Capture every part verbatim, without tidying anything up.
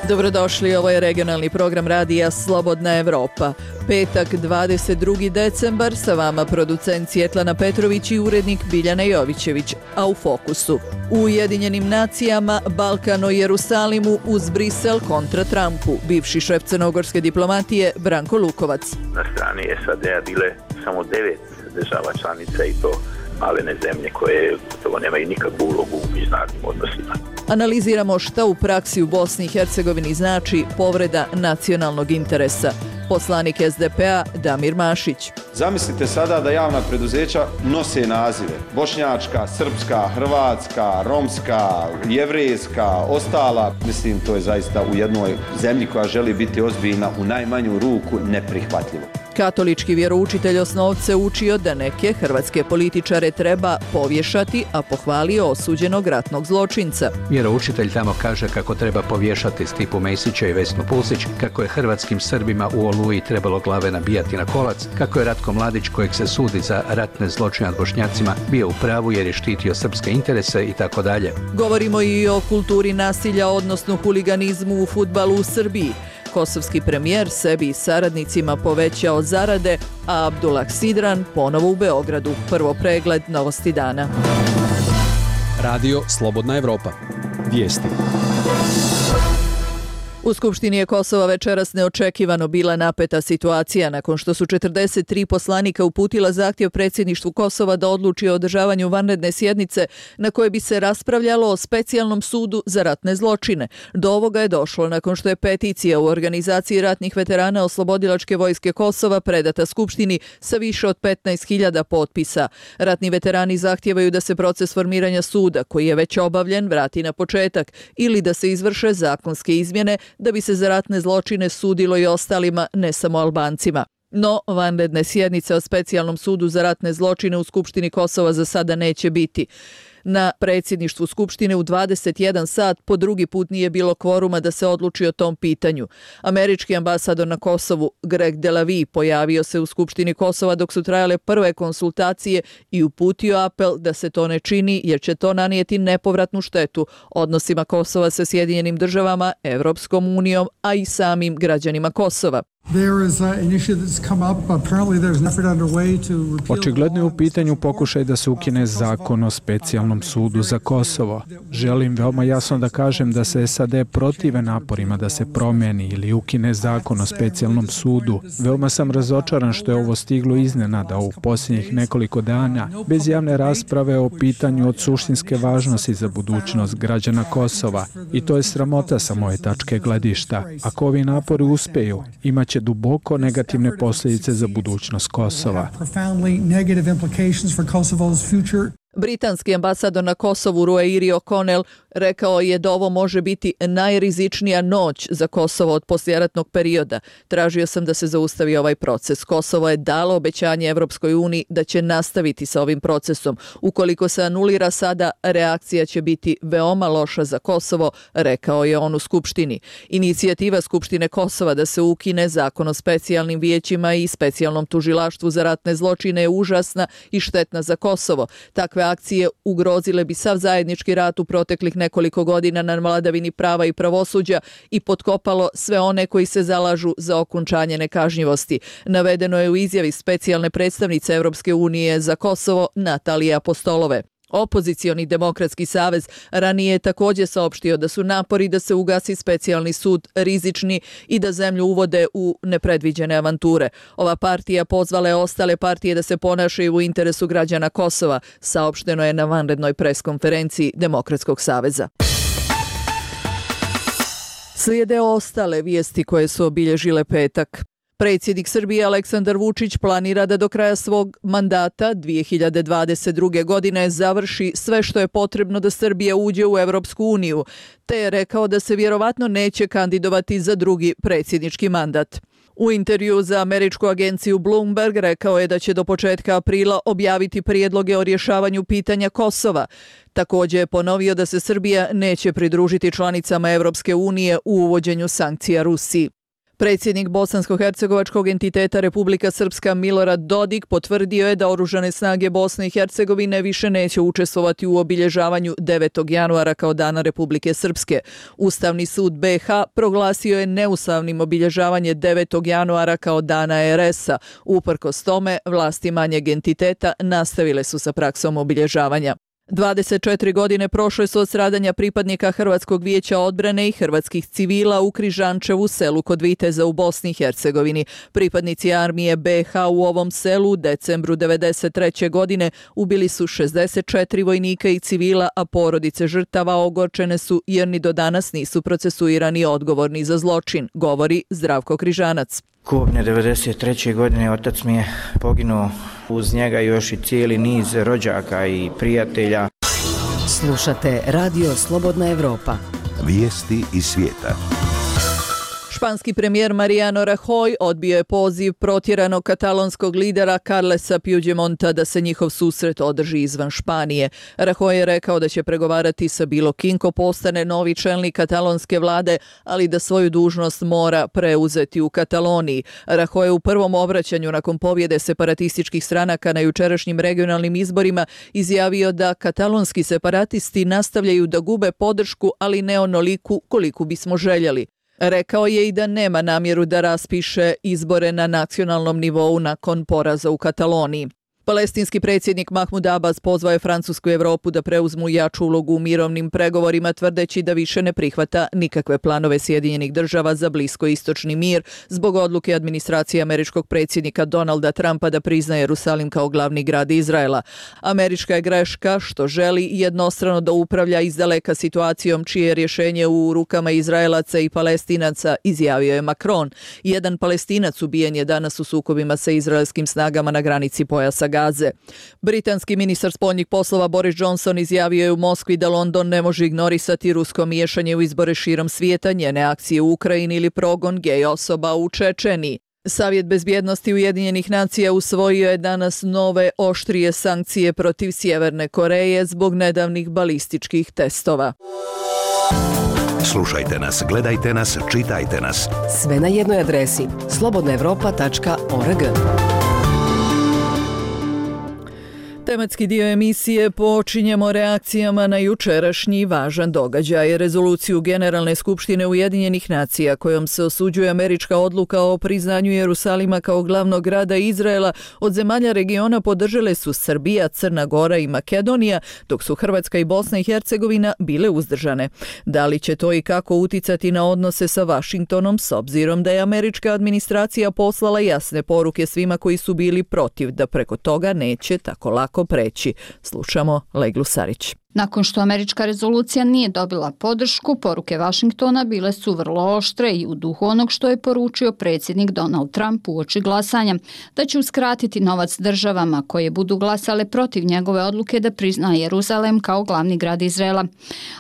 Dobrodošli, ovo je regionalni program radija Slobodna Evropa. Petak, dvadeset drugi decembar, sa vama producent Svjetlana Petrović i urednik Biljana Jovićević, a u fokusu. U Ujedinjenim nacijama, Balkan o Jerusalimu uz Brisel kontra Trumpu, bivši šef crnogorske diplomatije Branko Lukovac. Na strani S A D-a bile samo devet država članica i to malene zemlje koje gotovo nemaju nikakvu ulogu u međunarodnim odnosima. Analiziramo šta u praksi u Bosni i Hercegovini znači povreda nacionalnog interesa. Poslanik S D P-a Damir Mašić. Zamislite sada da javna preduzeća nose nazive bošnjačka, srpska, hrvatska, romska, jevrejska, ostala. Mislim, to je zaista u jednoj zemlji koja želi biti ozbiljna u najmanju ruku neprihvatljivo. Katolički vjeroučitelj osnovce učio da neke hrvatske političare treba povješati, a pohvalio osuđenog ratnog zločinca. Vjeroučitelj tamo kaže kako treba povješati Stipu Mesića i Vesnu Pusić, kako je hrvatskim Srbima u Oluji trebalo glave nabijati na kolac, kako je Ratko Mladić, kojeg se sudi za ratne zločine nad Bošnjacima, bio u pravu jer je štitio srpske interese i tako dalje. Govorimo i o kulturi nasilja, odnosno huliganizmu u fudbalu u Srbiji. Kosovski premijer sebi i saradnicima povećao zarade, a Abdullah Sidran ponovo u Beogradu. Prvo pregled novosti dana. Radio Slobodna Evropa. Vijesti. U Skupštini je Kosova večeras neočekivano bila napeta situacija nakon što su četrdeset tri poslanika uputila zahtjev predsjedništvu Kosova da odluči o održavanju vanredne sjednice na kojoj bi se raspravljalo o specijalnom sudu za ratne zločine. Do ovoga je došlo nakon što je peticija u organizaciji ratnih veterana Oslobodilačke vojske Kosova predata Skupštini sa više od petnaest hiljada potpisa. Ratni veterani zahtijevaju da se proces formiranja suda, koji je već obavljen, vrati na početak ili da se izvrše zakonske izmjene da bi se za ratne zločine sudilo i ostalima, ne samo Albancima. No, vanredne sjednice o specijalnom sudu za ratne zločine u Skupštini Kosova za sada neće biti. Na predsjedništvu Skupštine u dvadeset jedan sat po drugi put nije bilo kvoruma da se odluči o tom pitanju. Američki ambasador na Kosovu Greg Delavi pojavio se u Skupštini Kosova dok su trajale prve konsultacije i uputio apel da se to ne čini jer će to nanijeti nepovratnu štetu odnosima Kosova sa Sjedinjenim državama, Evropskom unijom, a i samim građanima Kosova. Očigledno je u pitanju pokušaj da se ukine zakon o specijalnom sudu za Kosovo. Želim veoma jasno da kažem da se S A D protive naporima da se promijeni ili ukine zakon o specijalnom sudu. Veoma sam razočaran što je ovo stiglo iznenada u posljednjih nekoliko dana, bez javne rasprave o pitanju od suštinske važnosti za budućnost građana Kosova. I to je sramota sa moje tačke gledišta. Ako ovi napori uspeju, imaće duboko negativne posljedice za budućnost Kosova. Britanski ambasador na Kosovu Ruairi O'Connell rekao je da ovo može biti najrizičnija noć za Kosovo od poslijeratnog perioda. Tražio sam da se zaustavi ovaj proces. Kosovo je dalo obećanje Evropskoj uniji da će nastaviti sa ovim procesom. Ukoliko se anulira sada, reakcija će biti veoma loša za Kosovo, rekao je on u Skupštini. Inicijativa Skupštine Kosova da se ukine zakon o specijalnim vijećima i specijalnom tužilaštvu za ratne zločine je užasna i štetna za Kosovo. Takve akcije ugrozile bi sav zajednički rat u proteklih nekoliko godina na vladavini prava i pravosuđa i potkopalo sve one koji se zalažu za okončanje nekažnjivosti. Navedeno je u izjavi specijalne predstavnice Evropske unije za Kosovo Natalije Apostolove. Opozicioni demokratski savez ranije je također saopštio da su napori da se ugasi specijalni sud rizični i da zemlju uvode u nepredviđene avanture. Ova partija pozvala je ostale partije da se ponašaju u interesu građana Kosova, saopšteno je na vanrednoj preskonferenciji Demokratskog saveza. Slijede ostale vijesti koje su obilježile petak. Predsjednik Srbije Aleksandar Vučić planira da do kraja svog mandata dvije hiljade dvadeset druge. godine završi sve što je potrebno da Srbija uđe u Evropsku uniju, te je rekao da se vjerovatno neće kandidovati za drugi predsjednički mandat. U intervju za američku agenciju Bloomberg rekao je da će do početka aprila objaviti prijedloge o rješavanju pitanja Kosova. Također je ponovio da se Srbija neće pridružiti članicama Evropske unije u uvođenju sankcija Rusiji. Predsjednik bosansko-hercegovačkog entiteta Republika Srpska Milorad Dodik potvrdio je da oružane snage Bosne i Hercegovine više neće učestvovati u obilježavanju devetog januara kao Dana Republike Srpske. Ustavni sud be ha proglasio je neustavnim obilježavanje devetog januara kao Dana er esa. Uprkos tome, vlasti manjeg entiteta nastavile su sa praksom obilježavanja. dvadeset četiri godine prošle su od stradanja pripadnika Hrvatskog vijeća odbrane i hrvatskih civila u Križančevu, selu kod Viteza u Bosni i Hercegovini. Pripadnici armije be ha u ovom selu u decembru devedeset treće godine ubili su šezdeset četiri vojnika i civila, a porodice žrtava ogorčene su jer ni do danas nisu procesuirani odgovorni za zločin, govori Zdravko Križanac. Kobne devedeset treće godine otac mi je poginuo, uz njega još i cijeli niz rođaka i prijatelja. Slušate Radio Slobodna Evropa. Vijesti iz svijeta. Španski premijer Mariano Rajoy odbio je poziv protjeranog katalonskog lidera Carlesa Puigdemonta da se njihov susret održi izvan Španije. Rajoy je rekao da će pregovarati sa bilo kim ko postane novi čelnik katalonske vlade, ali da svoju dužnost mora preuzeti u Kataloniji. Rajoy je u prvom obraćanju nakon pobjede separatističkih stranaka na jučerašnjim regionalnim izborima izjavio da katalonski separatisti nastavljaju da gube podršku, ali ne onoliku koliku bismo željeli. Rekao je i da nema namjeru da raspiše izbore na nacionalnom nivou nakon poraza u Kataloniji. Palestinski predsjednik Mahmud Abbas pozvao je Francusku i Evropu da preuzmu jaču ulogu u mirovnim pregovorima, tvrdeći da više ne prihvata nikakve planove Sjedinjenih država za bliskoistočni mir zbog odluke administracije američkog predsjednika Donalda Trumpa da prizna Jerusalim kao glavni grad Izraela. Američka je greška što želi jednostrano da upravlja izdaleka situacijom čije je rješenje u rukama Izraelaca i Palestinaca, izjavio je Macron. Jedan Palestinac ubijen je danas u sukobima sa izraelskim snagama na granici pojasa Gaze. Britanski ministar spoljnih poslova Boris Johnson izjavio je u Moskvi da London ne može ignorisati rusko miješanje u izbore širom svijeta, njene akcije u Ukrajini ili progon gej osoba u Čečeniji. Savjet bezbjednosti Ujedinjenih nacija usvojio je danas nove oštrije sankcije protiv Sjeverne Koreje zbog nedavnih balističkih testova. Slušajte nas, gledajte nas, čitajte nas. Sve na jednoj adresi slobodna evropa tačka org. Tematski dio emisije počinjemo reakcijama na jučerašnji važan događaj, rezoluciju Generalne skupštine Ujedinjenih nacija kojom se osuđuje američka odluka o priznanju Jerusalima kao glavnog grada Izraela. Od zemalja regiona podržale su Srbija, Crna Gora i Makedonija, dok su Hrvatska i Bosna i Hercegovina bile uzdržane. Da li će to i kako uticati na odnose sa Vašingtonom, s obzirom da je američka administracija poslala jasne poruke svima koji su bili protiv da preko toga neće tako lako preći. Slušamo Leglu Sarić. Nakon što američka rezolucija nije dobila podršku, poruke Vašingtona bile su vrlo oštre i u duhu onog što je poručio predsjednik Donald Trump uoči glasanja, da će uskratiti novac državama koje budu glasale protiv njegove odluke da prizna Jeruzalem kao glavni grad Izraela.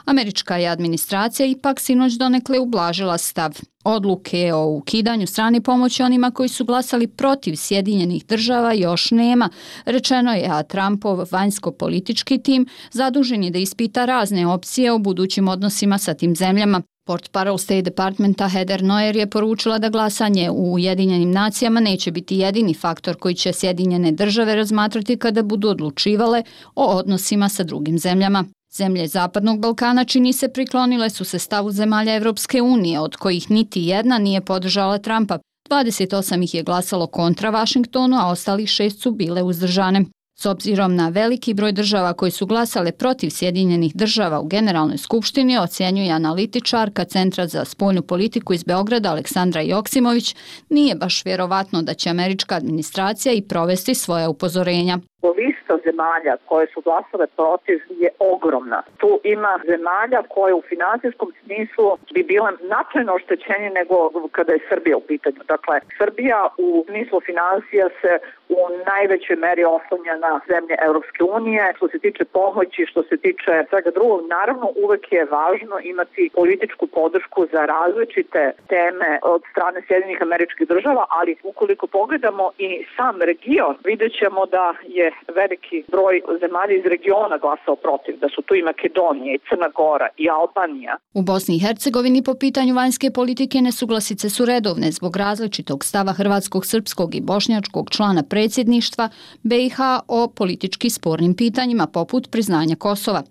Američka je administracija ipak sinoć donekle ublažila stav. Odluke o ukidanju strane pomoći onima koji su glasali protiv Sjedinjenih država još nema, rečeno je, a Trumpov vanjsko-politički tim zadužen je da ispita razne opcije o budućim odnosima sa tim zemljama. Portparol State Departmenta Heather Nauert je poručila da glasanje u Ujedinjenim nacijama neće biti jedini faktor koji će Sjedinjene države razmatrati kada budu odlučivale o odnosima sa drugim zemljama. Zemlje Zapadnog Balkana, čini se, priklonile su se stavu zemalja Evropske unije, od kojih niti jedna nije podržala Trumpa. dvadeset osam ih je glasalo kontra Vašingtonu, a ostalih šest su bile uzdržane. S obzirom na veliki broj država koji su glasale protiv Sjedinjenih država u Generalnoj skupštini, ocjenjuje analitičarka Centra za spoljnu politiku iz Beograda Aleksandra Joksimović, nije baš vjerovatno da će američka administracija i provesti svoja upozorenja. Lista zemalja koje su glasale protiv je ogromna. Tu ima zemalja koje u financijskom smislu bi bile značajno oštećenije nego kada je Srbija u pitanju. Dakle, Srbija u smislu financija se u najvećoj meri oslanja na zemlje Europske unije. Što se tiče pomoći, što se tiče svega drugog, naravno uvek je važno imati političku podršku za različite teme od strane Sjedinjenih Američkih Država, ali ukoliko pogledamo i sam region, vidjet ćemo da je velik veliki broj zemalja iz regiona glasao protiv, da su tu i Makedonija, i Crna Gora, i Albanija. U Bosni i Hercegovini po pitanju vanjske politike nesuglasice su redovne zbog različitog stava hrvatskog, srpskog i bošnjačkog člana predsjedništva B i H o politički spornim pitanjima poput priznanja Kosova.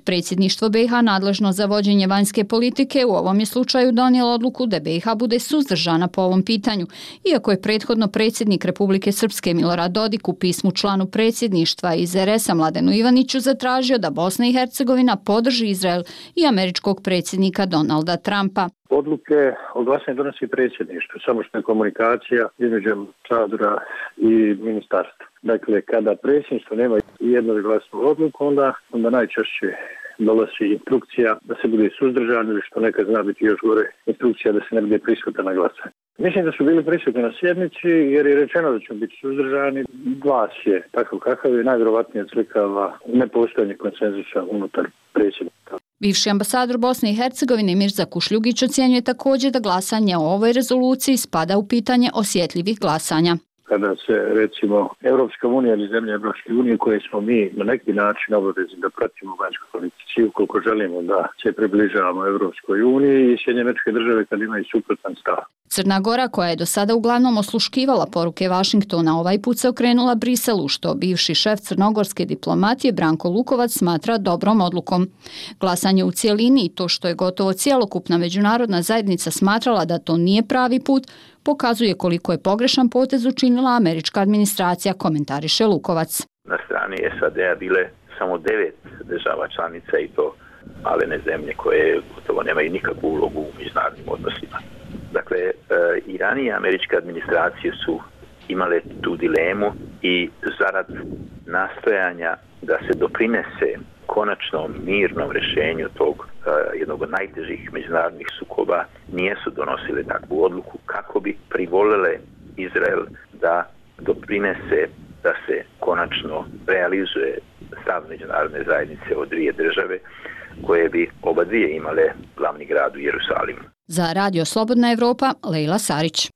Predsjedništvo B i H nadležno za vođenje vanjske politike u ovom je slučaju donijelo odluku da B i H bude suzdržana po ovom pitanju, iako je prethodno predsjednik Republike Srpske Milorad Dodik u pismu članu predsjedništva iz R S-a Mladenu Ivaniću zatražio da Bosna i Hercegovina podrži Izrael i američkog predsjednika Donalda Trumpa. Odluke o glasanju donosi predsjedništvo, samo što je komunikacija između ambasadora i ministarstva. Dakle, kada predsjedništvo nema jednoglasnu odluku, onda, onda najčešće dolazi instrukcija da se bude suzdržan ili što nekad zna biti još gore, instrukcija da se ne bude prisutan na glasanje. Mislim da su bili prisutni na sjednici jer je rečeno da će biti suzdržani. Glas je takav kakav je, najvjerovatnije odslikava nepostojanje konsenzusa unutar predsjednika. Bivši ambasador Bosne i Hercegovine Mirza Kušljugić ocjenjuje također da glasanje o ovoj rezoluciji spada u pitanje osjetljivih glasanja. Kada se, recimo, Europska unija ili zemlje Europske unije koje smo mi na neki način obavezni da pratimo vanjsku politici ukoliko želimo da se približavamo Europskoj uniji i Sjedinjene Američke Države kad imaju suprotan stav. Crna Gora, koja je do sada uglavnom osluškivala poruke Vašingtona, ovaj put se okrenula Briselu, što bivši šef crnogorske diplomatije Branko Lukovac smatra dobrom odlukom. Glasanje u cijelini i to što je gotovo cjelokupna međunarodna zajednica smatrala da to nije pravi put, pokazuje koliko je pogrešan potez učinila američka administracija, komentariše Lukovac. Na strani S A D-a bile samo devet država članica i to malene zemlje koje gotovo nemaju nikakvu ulogu u međunarodnim odnosima. Dakle, i ranije američke administracije su imale tu dilemu i zarad nastojanja da se doprinese konačnom mirnom rješenju tog uh, jednog od najtežih međunarodnih sukoba nijesu donosile takvu odluku kako bi privolile Izrael da doprinese da se konačno realizuje stav međunarodne zajednice od dvije države koje bi oba dvije imale glavni grad u Jerusalimu. Za Radio Slobodna Evropa, Lejla Sarić.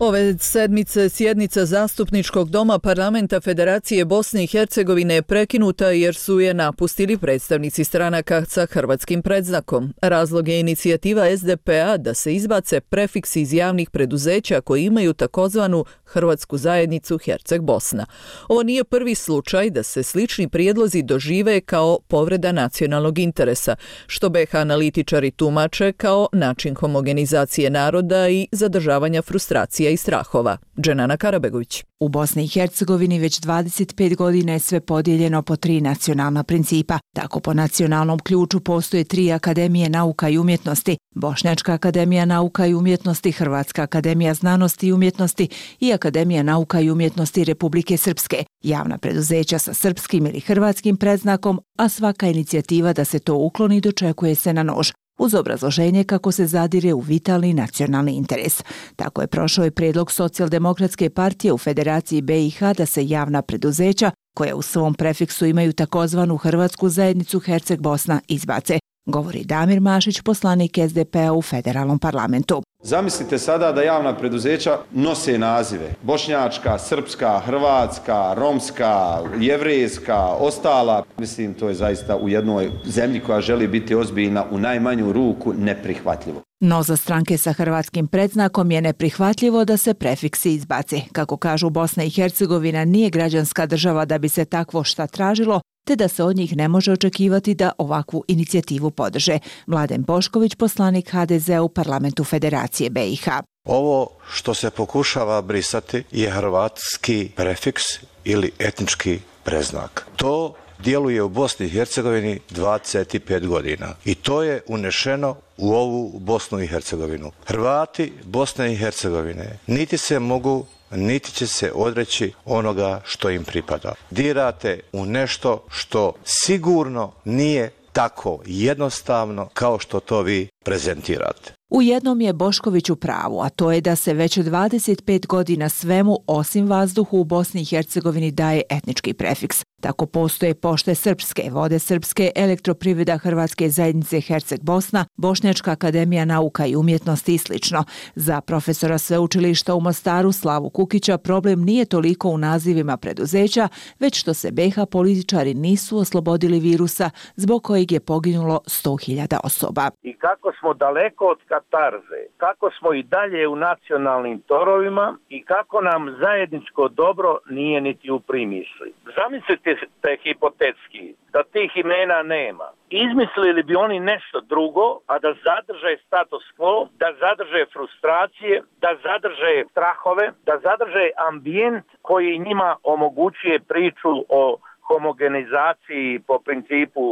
Ove sedmice sjednica Zastupničkog doma Parlamenta Federacije Bosne i Hercegovine je prekinuta jer su je napustili predstavnici stranaka sa hrvatskim predznakom. Razlog je inicijativa S D P-a da se izbace prefiksi iz javnih preduzeća koji imaju takozvanu Hrvatsku zajednicu Herceg-Bosna. Ovo nije prvi slučaj da se slični prijedlozi dožive kao povreda nacionalnog interesa, što B H analitičari tumače kao način homogenizacije naroda i zadržavanja frustracije i strahova. Dženana Karabegović. U Bosni i Hercegovini već dvadeset pet godina je sve podijeljeno po tri nacionalna principa. Tako po nacionalnom ključu postoje tri akademije nauka i umjetnosti, Bošnjačka akademija nauka i umjetnosti, Hrvatska akademija znanosti i umjetnosti i Akademija nauka i umjetnosti Republike Srpske, javna preduzeća sa srpskim ili hrvatskim predznakom, a svaka inicijativa da se to ukloni dočekuje se na nož, uz obrazloženje kako se zadire u vitalni nacionalni interes. Tako je prošao i prijedlog Socijaldemokratske partije u Federaciji B i H da se javna preduzeća, koja u svom prefiksu imaju takozvanu Hrvatsku zajednicu Herceg-Bosna, izbace, govori Damir Mašić, poslanik S D P-a u federalnom parlamentu. Zamislite sada da javna preduzeća nose nazive bošnjačka, srpska, hrvatska, romska, jevrejska, ostala. Mislim, to je zaista u jednoj zemlji koja želi biti ozbiljna u najmanju ruku neprihvatljivo. No za stranke sa hrvatskim predznakom je neprihvatljivo da se prefiksi izbace. Kako kažu, Bosna i Hercegovina nije građanska država da bi se takvo šta tražilo, te da se od njih ne može očekivati da ovakvu inicijativu podrže. Mladen Bošković, poslanik H D Z-a u parlamentu Federacije B i H. Ovo što se pokušava brisati je hrvatski prefiks ili etnički preznak. To djeluje u Bosni i Hercegovini dvadeset pet godina i to je unešeno u ovu Bosnu i Hercegovinu. Hrvati Bosne i Hercegovine niti se mogu niti će se odreći onoga što im pripada. Dirate u nešto što sigurno nije tako jednostavno kao što to vi prezentirate. U jednom je Bošković u pravu, a to je da se već dvadeset pet godina svemu osim vazduhu u Bosni i Hercegovini daje etnički prefiks. Tako postoje Pošte srpske, Vode srpske, Elektroprivreda Hrvatske zajednice Herceg Bosna, Bošnjačka akademija nauka i umjetnosti i slično. Za profesora sveučilišta u Mostaru Slavu Kukića problem nije toliko u nazivima preduzeća, već što se be ha političari nisu oslobodili virusa zbog kojeg je poginulo sto hiljada osoba. I kako smo daleko od katarze, kako smo i dalje u nacionalnim torovima i kako nam zajedničko dobro nije niti u primisli. Zamislite te hipotetski da tih imena nema. Izmislili bi oni nešto drugo, a da zadrže status quo, da zadrže frustracije, da zadrže strahove, da zadrže ambijent koji njima omogućuje priču o homogenizaciji po principu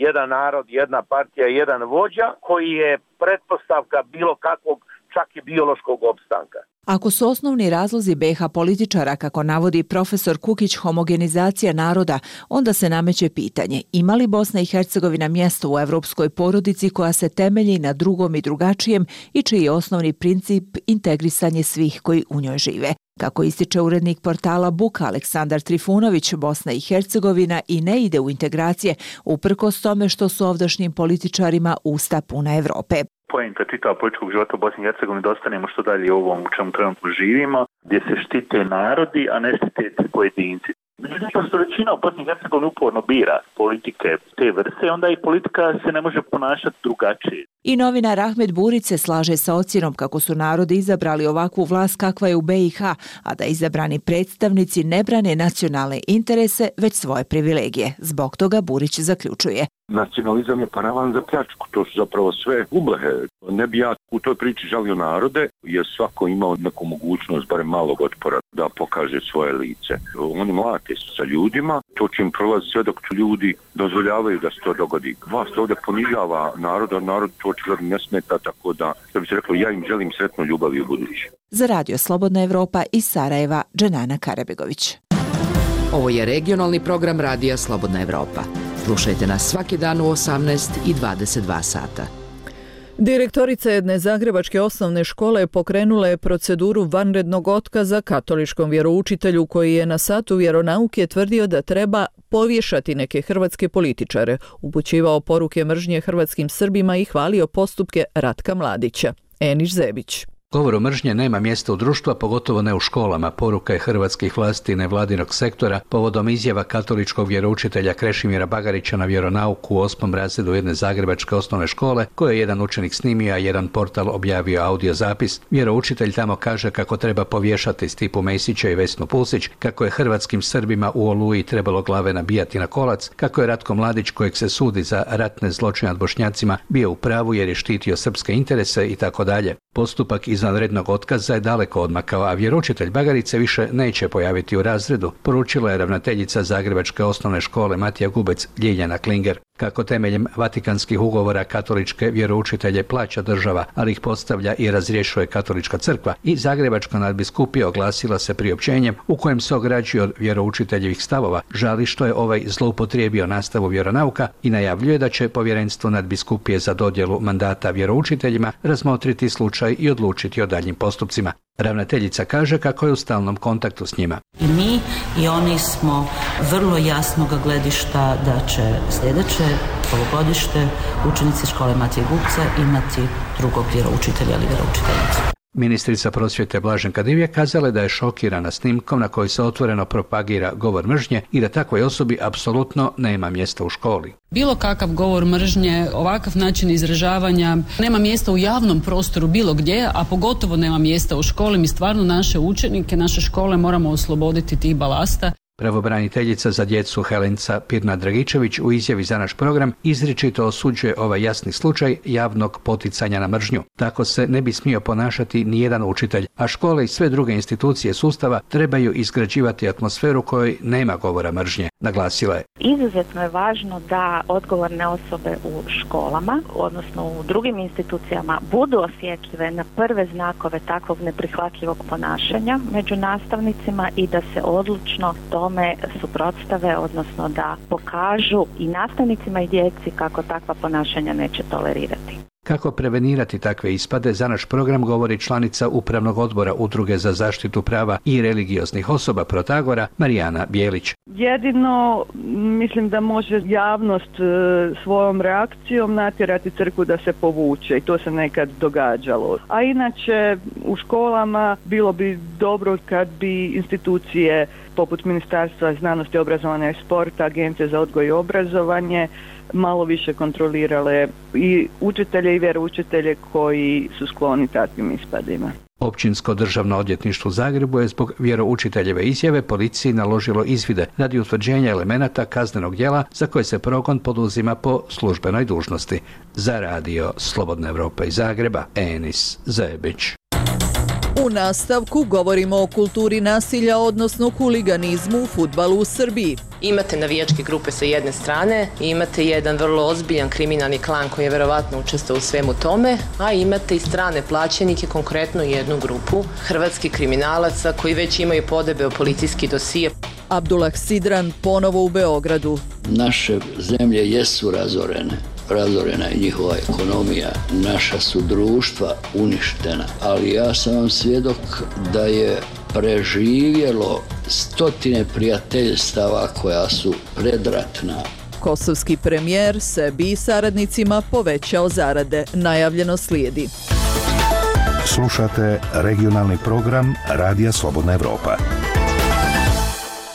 jedan narod, jedna partija, jedan vođa, koji je pretpostavka bilo kakvog, čak i biološkog opstanka. Ako su osnovni razlozi be ha političara, kako navodi profesor Kukić, homogenizacija naroda, onda se nameće pitanje ima li Bosna i Hercegovina mjesto u evropskoj porodici koja se temelji na drugom i drugačijem i čiji je osnovni princip integrisanje svih koji u njoj žive. Kako ističe urednik portala Buka Aleksandar Trifunović, Bosna i Hercegovina i ne ide u integracije, uprkos tome što su ovdašnjim političarima usta puna Evrope. Poenta čitava političkog života u Bosni i Hercegovini da ostanemo što dalje u ovom u čemu trenutno živimo, gdje se štite narodi, a ne štite pojedinci. Međutim, što većina u Bosni i Hercegovini uporno bira politike te vrste, onda i politika se ne može ponašati drugačije. I novinar Ahmed Burić se slaže sa ocjenom kako su narodi izabrali ovakvu vlast kakva je u be i ha, a da izabrani predstavnici ne brane nacionalne interese, već svoje privilegije. Zbog toga Burić zaključuje. Nacionalizam je paravan za pljačku, to su zapravo sve ublehe. Ne bi ja u toj priči žalio narode, jer svako imao neku mogućnost, barem malog otpora, da pokaže svoje lice. Oni mlate su sa ljudima, to će im prolazi sve dok ljudi dozvoljavaju da se to dogodi. Vlast ovdje ponižava narod, a narod to očigledno ne smeta, tako da, da bi se reklo, ja im želim sretno ljubavi u budući. Za Radio Slobodna Evropa iz Sarajeva, Dženana Karabegović. Ovo je regionalni program Radija Slobodna Evropa. Slušajte nas svaki dan u osamnaest i dvadeset dva sata. Direktorica jedne zagrebačke osnovne škole pokrenula je proceduru vanrednog otkaza katoličkom vjeroučitelju koji je na satu vjeronauke tvrdio da treba povješati neke hrvatske političare, upućivao poruke mržnje hrvatskim Srbima i hvalio postupke Ratka Mladića. Eniš Zebić. Govoru mržnje nema mjesta u društvu, a pogotovo ne u školama. Poruka je hrvatskih vlasti i nevladinog sektora povodom izjava katoličkog vjeroučitelja Krešimira Bagarića na vjeronauku u osmom razredu jedne zagrebačke osnovne škole, koje je jedan učenik snimio, a jedan portal objavio audio zapis. Vjeroučitelj tamo kaže kako treba povješati Stipu Mesića i Vesnu Pusić, kako je hrvatskim Srbima u Oluji trebalo glave nabijati na kolac, kako je Ratko Mladić, kojeg se sudi za ratne zločine nad Bošnjacima, bio u pravu jer je štitio srpske interese i tako dalje. Postupak izvanrednog otkaza je daleko odmakao, a vjeroučitelj Bagarice više neće pojaviti u razredu, poručila je ravnateljica Zagrebačke osnovne škole Matija Gubec Ljiljana Klinger. Kako temeljem vatikanskih ugovora katoličke vjeroučitelje plaća država, ali ih postavlja i razrješuje katolička crkva, i Zagrebačka nadbiskupija oglasila se priopćenjem u kojem se ograđuje od vjeroučiteljevih stavova, žali što je ovaj zloupotrijebio nastavu vjeronauka i najavljuje da će povjerenstvo nadbiskupije za dodjelu mandata vjeroučiteljima razmotriti slučaj i odlučiti o daljnjim postupcima. Ravnateljica kaže kako je u stalnom kontaktu s njima. I mi i oni smo vrlo jasnog gledišta da će sljedeće polugodište učenici škole Matije Gupca imati drugog vjeroučitelja ili vjeroučiteljicu. Ministrica prosvjete Blaženka Divjak kazala je da je šokirana snimkom na kojoj se otvoreno propagira govor mržnje i da takvoj osobi apsolutno nema mjesta u školi. Bilo kakav govor mržnje, ovakav način izražavanja nema mjesta u javnom prostoru bilo gdje, a pogotovo nema mjesta u školi. Mi stvarno naše učenike, naše škole moramo osloboditi tih balasta. Pravobraniteljica za djecu Helenca Pirna-Dragičević u izjavi za naš program izričito osuđuje ovaj jasni slučaj javnog poticanja na mržnju. Tako se ne bi smio ponašati ni jedan učitelj, a škole i sve druge institucije sustava trebaju izgrađivati atmosferu kojoj nema govora mržnje, naglasila je. Izuzetno je važno da odgovorne osobe u školama, odnosno u drugim institucijama, budu osjetljive na prve znakove takvog neprihvatljivog ponašanja među nastavnicima i da se odlučno tome suprotstave, odnosno da pokažu i nastavnicima i djeci kako takva ponašanja neće tolerirati. Kako prevenirati takve ispade, za naš program govori članica Upravnog odbora Udruge za zaštitu prava i religioznih osoba Protagora, Marijana Bijelić. Jedino mislim da može javnost svojom reakcijom natjerati crkvu da se povuče i to se nekad događalo. A inače u školama bilo bi dobro kad bi institucije poput Ministarstva znanosti, obrazovanja i sporta, Agencije za odgoj i obrazovanje malo više kontrolirale i učitelje i vjeroučitelje koji su skloni takvim ispadima. Općinsko državno odvjetništvo u Zagrebu je zbog vjeroučiteljeve izjave policiji naložilo izvide radi utvrđenja elemenata kaznenog djela za koje se progon poduzima po službenoj dužnosti. Za radio Slobodna Evropa iz Zagreba, Enis Zebić. U nastavku govorimo o kulturi nasilja, odnosno huliganizmu u fudbalu u Srbiji. Imate navijačke grupe sa jedne strane, imate jedan vrlo ozbiljan kriminalni klan koji je verovatno učestvovao u svemu tome, a imate i strane plaćenike, konkretno jednu grupu hrvatskih kriminalaca koji već imaju podebeo policijski dosije. Abdullah Sidran ponovo u Beogradu. Naše zemlje jesu razorene. Razorena je njihova ekonomija, naša su društva uništena, ali ja sam vam svjedok da je preživjelo stotine prijateljstava koja su predratna. Kosovski premijer sebi i saradnicima povećao zarade. Najavljeno slijedi. Slušate regionalni program Radija Slobodna Evropa.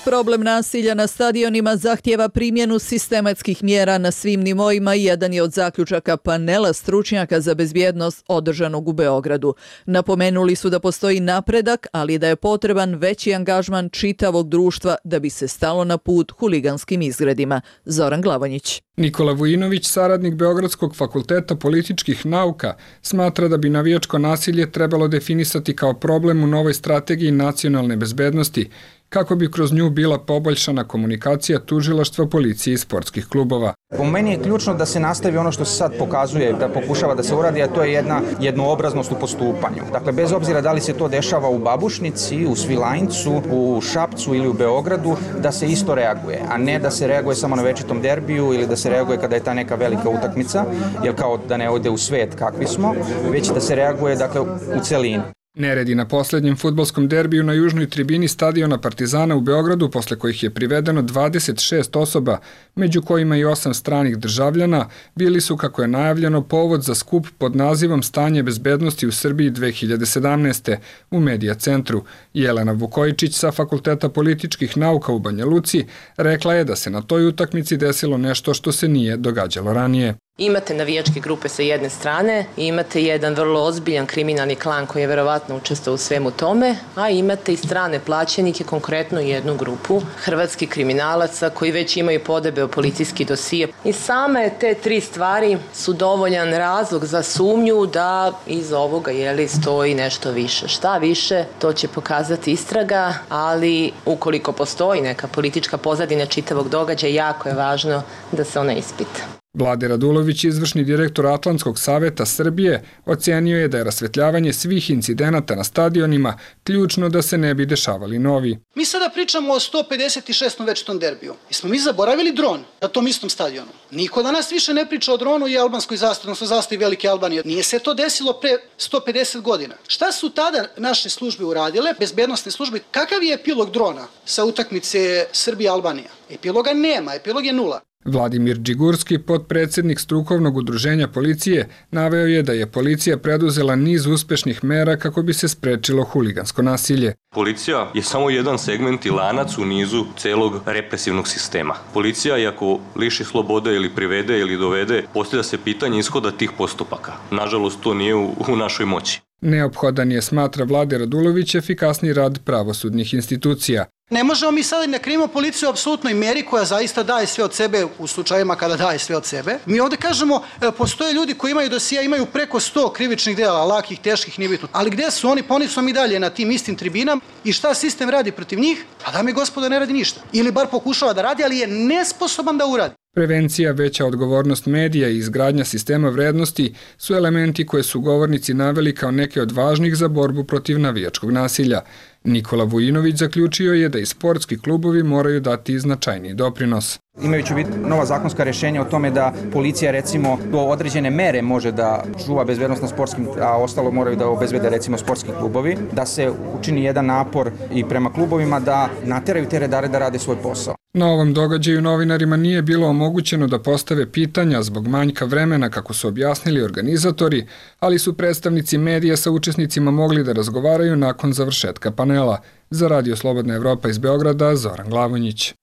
Problem nasilja na stadionima zahtijeva primjenu sistematskih mjera na svim nivoima i jedan je od zaključaka panela stručnjaka za bezbjednost održanog u Beogradu. Napomenuli su da postoji napredak, ali da je potreban veći angažman čitavog društva da bi se stalo na put huliganskim izgredima. Zoran Glavonjić. Nikola Vujinović, saradnik Beogradskog fakulteta političkih nauka, smatra da bi navijačko nasilje trebalo definisati kao problem u novoj strategiji nacionalne bezbednosti, kako bi kroz nju bila poboljšana komunikacija tužilaštva, policije i sportskih klubova. Po meni je ključno da se nastavi ono što se sad pokazuje, da pokušava da se uradi, a to je jedna jednoobraznost u postupanju. Dakle, bez obzira da li se to dešava u Babušnici, u Svilajncu, u Šapcu ili u Beogradu, da se isto reaguje, a ne da se reaguje samo na večitom derbiju ili da se reaguje kada je ta neka velika utakmica, jer kao da ne ode u svet kakvi smo, već da se reaguje dakle, u celini. Neredi na posljednjem fudbalskom derbiju na južnoj tribini stadiona Partizana u Beogradu, posle kojih je privedeno dvadeset šest osoba, među kojima i osam stranih državljana, bili su, kako je najavljeno, povod za skup pod nazivom Stanje bezbednosti u Srbiji dve hiljade sedamnaeste. u Medija centru. Jelena Vukojičić sa Fakulteta političkih nauka u Banja Luci rekla je da se na toj utakmici desilo nešto što se nije događalo ranije. Imate navijačke grupe sa jedne strane, imate jedan vrlo ozbiljan kriminalni klan koji je verovatno učestvovao u svemu tome, a imate i strane plaćenike, konkretno jednu grupu hrvatskih kriminalaca koji već imaju podebeo policijski dosije. I same te tri stvari su dovoljan razlog za sumnju da iz ovoga jeli, stoji nešto više. Šta više, to će pokazati istraga, ali ukoliko postoji neka politička pozadina čitavog događaja, jako je važno da se ona ispita. Vlade Radulović, izvršni direktor Atlantskog saveta Srbije, ocenio je da je rasvetljavanje svih incidenata na stadionima ključno da se ne bi dešavali novi. Mi sada pričamo o sto pedeset šestom večitom derbiju. Jesmo mi zaboravili dron na tom istom stadionu? Niko danas više ne priča o dronu i albanskoj zastavi, odnosno zastavi Velike Albanije. Nije se to desilo pre sto pedeset godina. Šta su tada naše službe uradile, bezbednosne službe? Kakav je epilog drona sa utakmice Srbija-Albanija? Epiloga nema, epilog je nula. Vladimir Đigurski, potpredsjednik strukovnog udruženja policije, naveo je da je policija preduzela niz uspešnih mera kako bi se sprečilo huligansko nasilje. Policija je samo jedan segment i lanac u nizu celog represivnog sistema. Policija, iako liši slobode ili privede ili dovede, postavlja se pitanje ishoda tih postupaka. Nažalost, to nije u, u našoj moći. Neophodan je, smatra Vlade Radulović, efikasni rad pravosudnih institucija. Ne možemo mi sada ne krivimo policiju u apsolutnoj meri koja zaista daje sve od sebe u slučajevima kada daje sve od sebe. Mi ovdje kažemo, postoje ljudi koji imaju dosija, imaju preko sto krivičnih dela, lakih, teških, nije bitno. Ali gdje su oni? Pa oni su mi dalje na tim istim tribinama i šta sistem radi protiv njih? Pa dame i gospodo, ne radi ništa. Ili bar pokušava da radi, ali je nesposoban da uradi. Prevencija, veća odgovornost medija i izgradnja sistema vrednosti su elementi koje su govornici naveli kao neke od važnih za borbu protiv navijačkog nasilja. Nikola Vujinović zaključio je da i sportski klubovi moraju dati značajniji doprinos. Imajući u vidu nova zakonska rješenja o tome da policija recimo do određene mere može da čuva bezbednost na sportskim, a ostalo moraju da obezbede recimo sportski klubovi, da se učini jedan napor i prema klubovima da nateraju te redare da rade svoj posao. Na ovom događaju novinarima nije bilo omogućeno da postave pitanja zbog manjka vremena, kako su objasnili organizatori, ali su predstavnici medija sa učesnicima mogli da razgovaraju nakon završetka panela. Za Radio Slobodna Evropa iz Beograda, Zoran Glavonjić.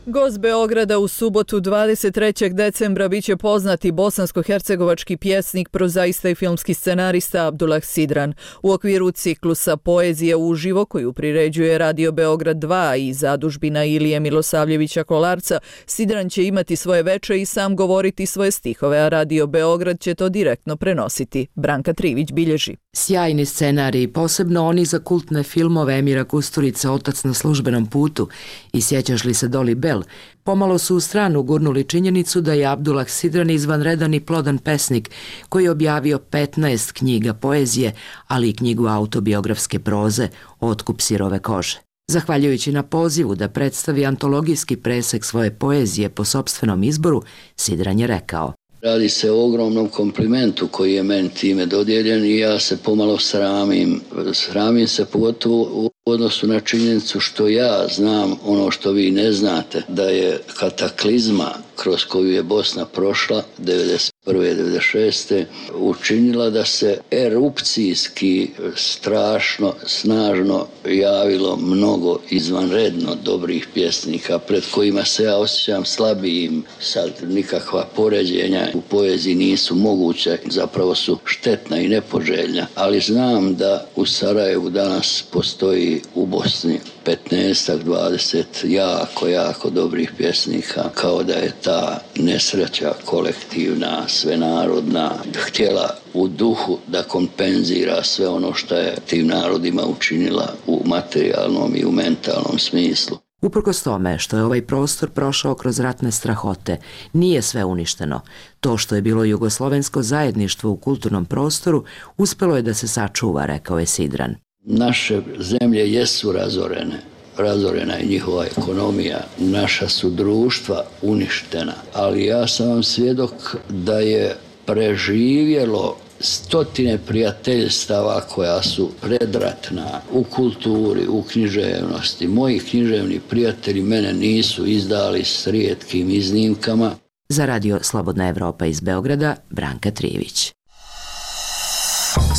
Gost Beograda u subotu dvadeset trećeg decembra biće poznati bosansko-hercegovački pjesnik, prozaista i filmski scenarista Abdullah Sidran. U okviru ciklusa Poezije uživo koju priređuje Radio Beograd dva i zadužbina Ilije Milosavljevića Kolarca, Sidran će imati svoje veče i sam govoriti svoje stihove, a Radio Beograd će to direktno prenositi. Branka Trivić bilježi. Sjajni scenariji, posebno oni za kultne filmove Emira Kusturica Otac na službenom putu i Sjećaš li se Doli Bell, pomalo su u stranu gurnuli činjenicu da je Abdullah Sidran izvanredan i plodan pesnik koji je objavio petnaest knjiga poezije, ali i knjigu autobiografske proze Otkup sirove kože. Zahvaljujući na pozivu da predstavi antologijski presek svoje poezije po sopstvenom izboru, Sidran je rekao: Radi se o ogromnom komplimentu koji je meni time dodijeljen i ja se pomalo sramim. Sramim se pogotovo u odnosu na činjenicu što ja znam ono što vi ne znate, da je kataklizma kroz koju je Bosna prošla devedeset prve devedeset šeste učinila da se erupcijski strašno, snažno javilo mnogo izvanredno dobrih pjesnika pred kojima se ja osjećam slabijim. Sad nikakva poređenja u poeziji nisu moguće, zapravo su štetna i nepoželjna, ali znam da u Sarajevu danas postoji u Bosni petnaest dvadeset jako, jako dobrih pjesnika, kao da je ta nesreća kolektivna, svenarodna, htjela u duhu da kompenzira sve ono što je tim narodima učinila u materijalnom i u mentalnom smislu. Uprkos tome što je ovaj prostor prošao kroz ratne strahote, nije sve uništeno. To što je bilo jugoslovensko zajedništvo u kulturnom prostoru uspelo je da se sačuva, rekao je Sidran. Naše zemlje jesu razorene. Razorena je njihova ekonomija, naša su društva uništena, ali ja sam vam svjedok da je preživjelo stotine prijateljstava koja su predratna u kulturi, u književnosti. Moji književni prijatelji mene nisu izdali s rijetkim iznimkama. Za Radio Slobodna Evropa iz Beograda, Branka Trivić.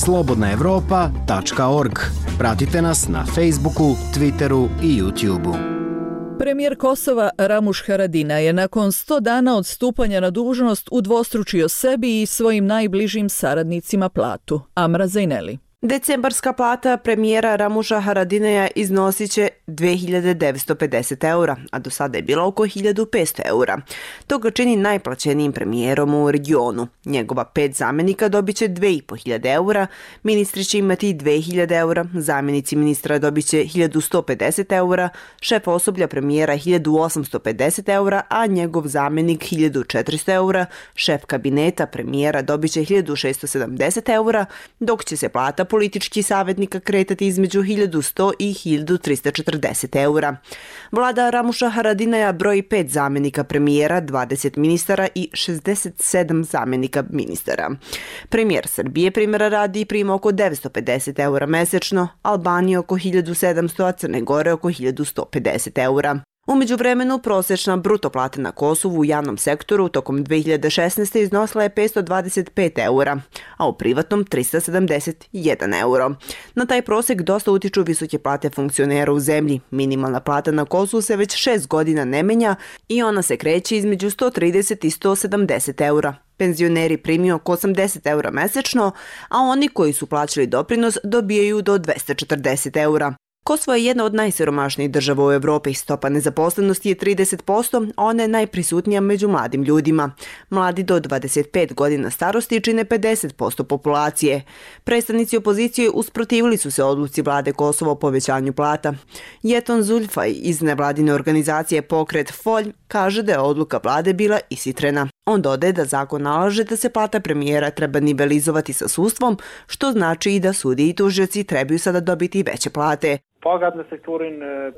slobodna evropa tačka org. Pratite nas na Facebooku, Twitteru i YouTubeu. Premijer Kosova Ramuš Haradinaj je nakon sto dana od stupanja na dužnost udvostručio sebi i svojim najbližim saradnicima platu. Amra Zajneli. Decembarska plata premijera Ramuša Haradinaja iznosit će dve hiljade devetsto pedeset eura, a do sada je bila oko hiljadu petsto eura. To ga čini najplaćenijim premijerom u regionu. Njegova pet zamjenika dobit će dve i po hiljade eura, ministri će imati dve hiljade eura, zamjenici ministra dobit će hiljadu sto pedeset eura, šef osoblja premijera hiljadu osamsto pedeset eura, a njegov zamjenik hiljadu četiristo eura, šef kabineta premijera dobit će hiljadu šesto sedamdeset eura, dok će se plata političkih savjetnika kretati između hiljadu sto i hiljadu tristo četrdeset eura. Vlada Ramuša Haradinaja broji pet zamjenika premijera, dvadeset ministara i šezdeset sedam zamjenika ministara. Premijer Srbije primjera radi prima oko devetsto pedeset eura mesečno, Albanije oko hiljadu sedamsto, a Crne Gore oko hiljadu sto pedeset eura. U međuvremenu, prosječna bruto plata na Kosovu u javnom sektoru tokom dve hiljade šesnaeste. iznosila je petsto dvadeset pet eura, a u privatnom tristo sedamdeset jedan euro. Na taj prosjek dosta utiču visoke plate funkcionera u zemlji. Minimalna plata na Kosovu se već šest godina ne menja i ona se kreće između sto trideset i sto sedamdeset eura. Penzioneri primiju oko osamdeset eura mesečno, a oni koji su plaćali doprinos dobijaju do dvesta četrdeset eura. Kosovo je jedna od najsiromašnijih država u Evropi. Stopa nezaposlenosti je trideset posto, a ona je najprisutnija među mladim ljudima. Mladi do dvadeset pet godina starosti čine pedeset posto populacije. Predstavnici opozicije usprotivili su se odluci vlade Kosova o povećanju plata. Jeton Zulfaj iz nevladine organizacije Pokret Folj kaže da je odluka vlade bila ishitrena. On dodaje da zakon nalaže da se plata premijera treba nivelizovati sa sudstvom, što znači i da sudiji i tužioci trebaju sada dobiti veće plate.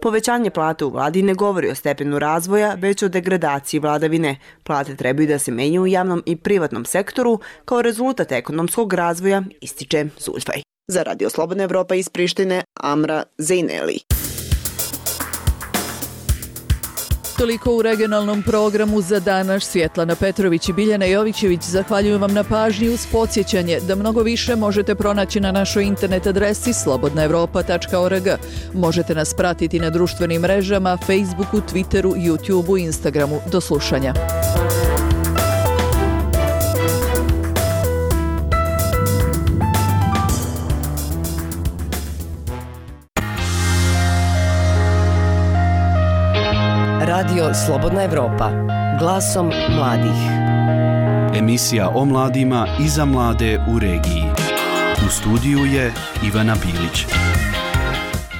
Povećanje plate u vladi ne govori o stepenu razvoja, već o degradaciji vladavine. Plate trebaju da se menjaju u javnom i privatnom sektoru kao rezultat ekonomskog razvoja, ističe Zulfaj. Za Radio Slobodna Evropa iz Prištine, Amra Zejneli. Toliko u regionalnom programu za danas. Svjetlana Petrović i Biljana Jovićević zahvaljuju vam na pažnji uz podsjećanje da mnogo više možete pronaći na našoj internet adresi slobodna evropa tačka org. Možete nas pratiti na društvenim mrežama, Facebooku, Twitteru, YouTubeu i Instagramu. Do slušanja. Radio Slobodna Evropa, glasom mladih. Emisija o mladima i za mlade u regiji. U studiju je Ivana Bilić.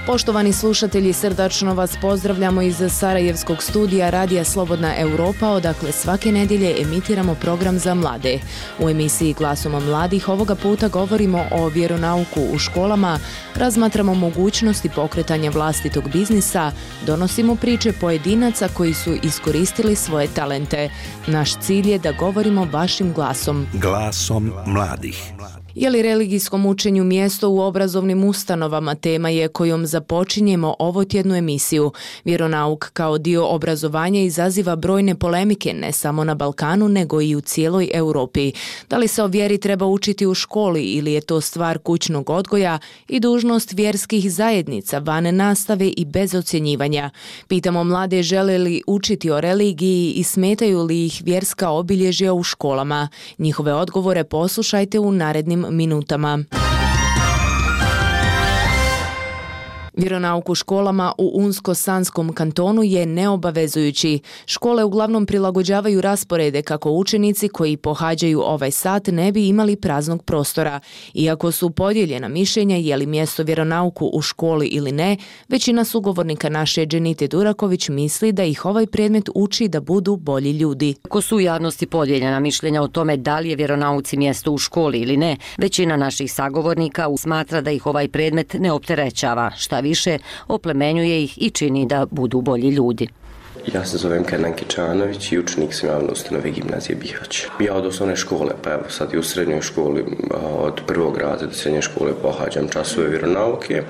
Poštovani slušatelji, srdačno vas pozdravljamo iz Sarajevskog studija Radija Slobodna Evropa, odakle svake nedjelje emitiramo program za mlade. U emisiji Glasom mladih ovoga puta govorimo o vjeronauku u školama, razmatramo mogućnosti pokretanja vlastitog biznisa, donosimo priče pojedinaca koji su iskoristili svoje talente. Naš cilj je da govorimo vašim glasom. Glasom mladih. Je li religijskom učenju mjesto u obrazovnim ustanovama tema je kojom započinjemo ovotjednu emisiju. Vjeronauk kao dio obrazovanja izaziva brojne polemike ne samo na Balkanu nego i u cijeloj Europi. Da li se o vjeri treba učiti u školi ili je to stvar kućnog odgoja i dužnost vjerskih zajednica van nastave i bez ocjenjivanja? Pitamo mlade žele li učiti o religiji i smetaju li ih vjerska obilježja u školama. Njihove odgovore poslušajte u narednim minutama. Vjeronauk u školama u Unsko-Sanskom kantonu je neobavezujući. Škole uglavnom prilagođavaju rasporede kako učenici koji pohađaju ovaj sat ne bi imali praznog prostora. Iako su podijeljena mišljenja je li mjesto vjeronauku u školi ili ne, većina sugovornika naše Dženite Duraković misli da ih ovaj predmet uči da budu bolji ljudi. Ako su u javnosti podijeljena mišljenja o tome da li je vjeronauci mjesto u školi ili ne, većina naših sagovornika smatra da ih ovaj predmet ne opterećava, šta više oplemenjuje ih i čini da budu bolji ljudi. Ja se zovem Kenan Kičanović i učenik sam javne ustanove Gimnazije Bihać. Ja od osnovne škole, pa evo sad i u srednjoj školi, od prvog razreda srednje škole pohađam časove vjeronauke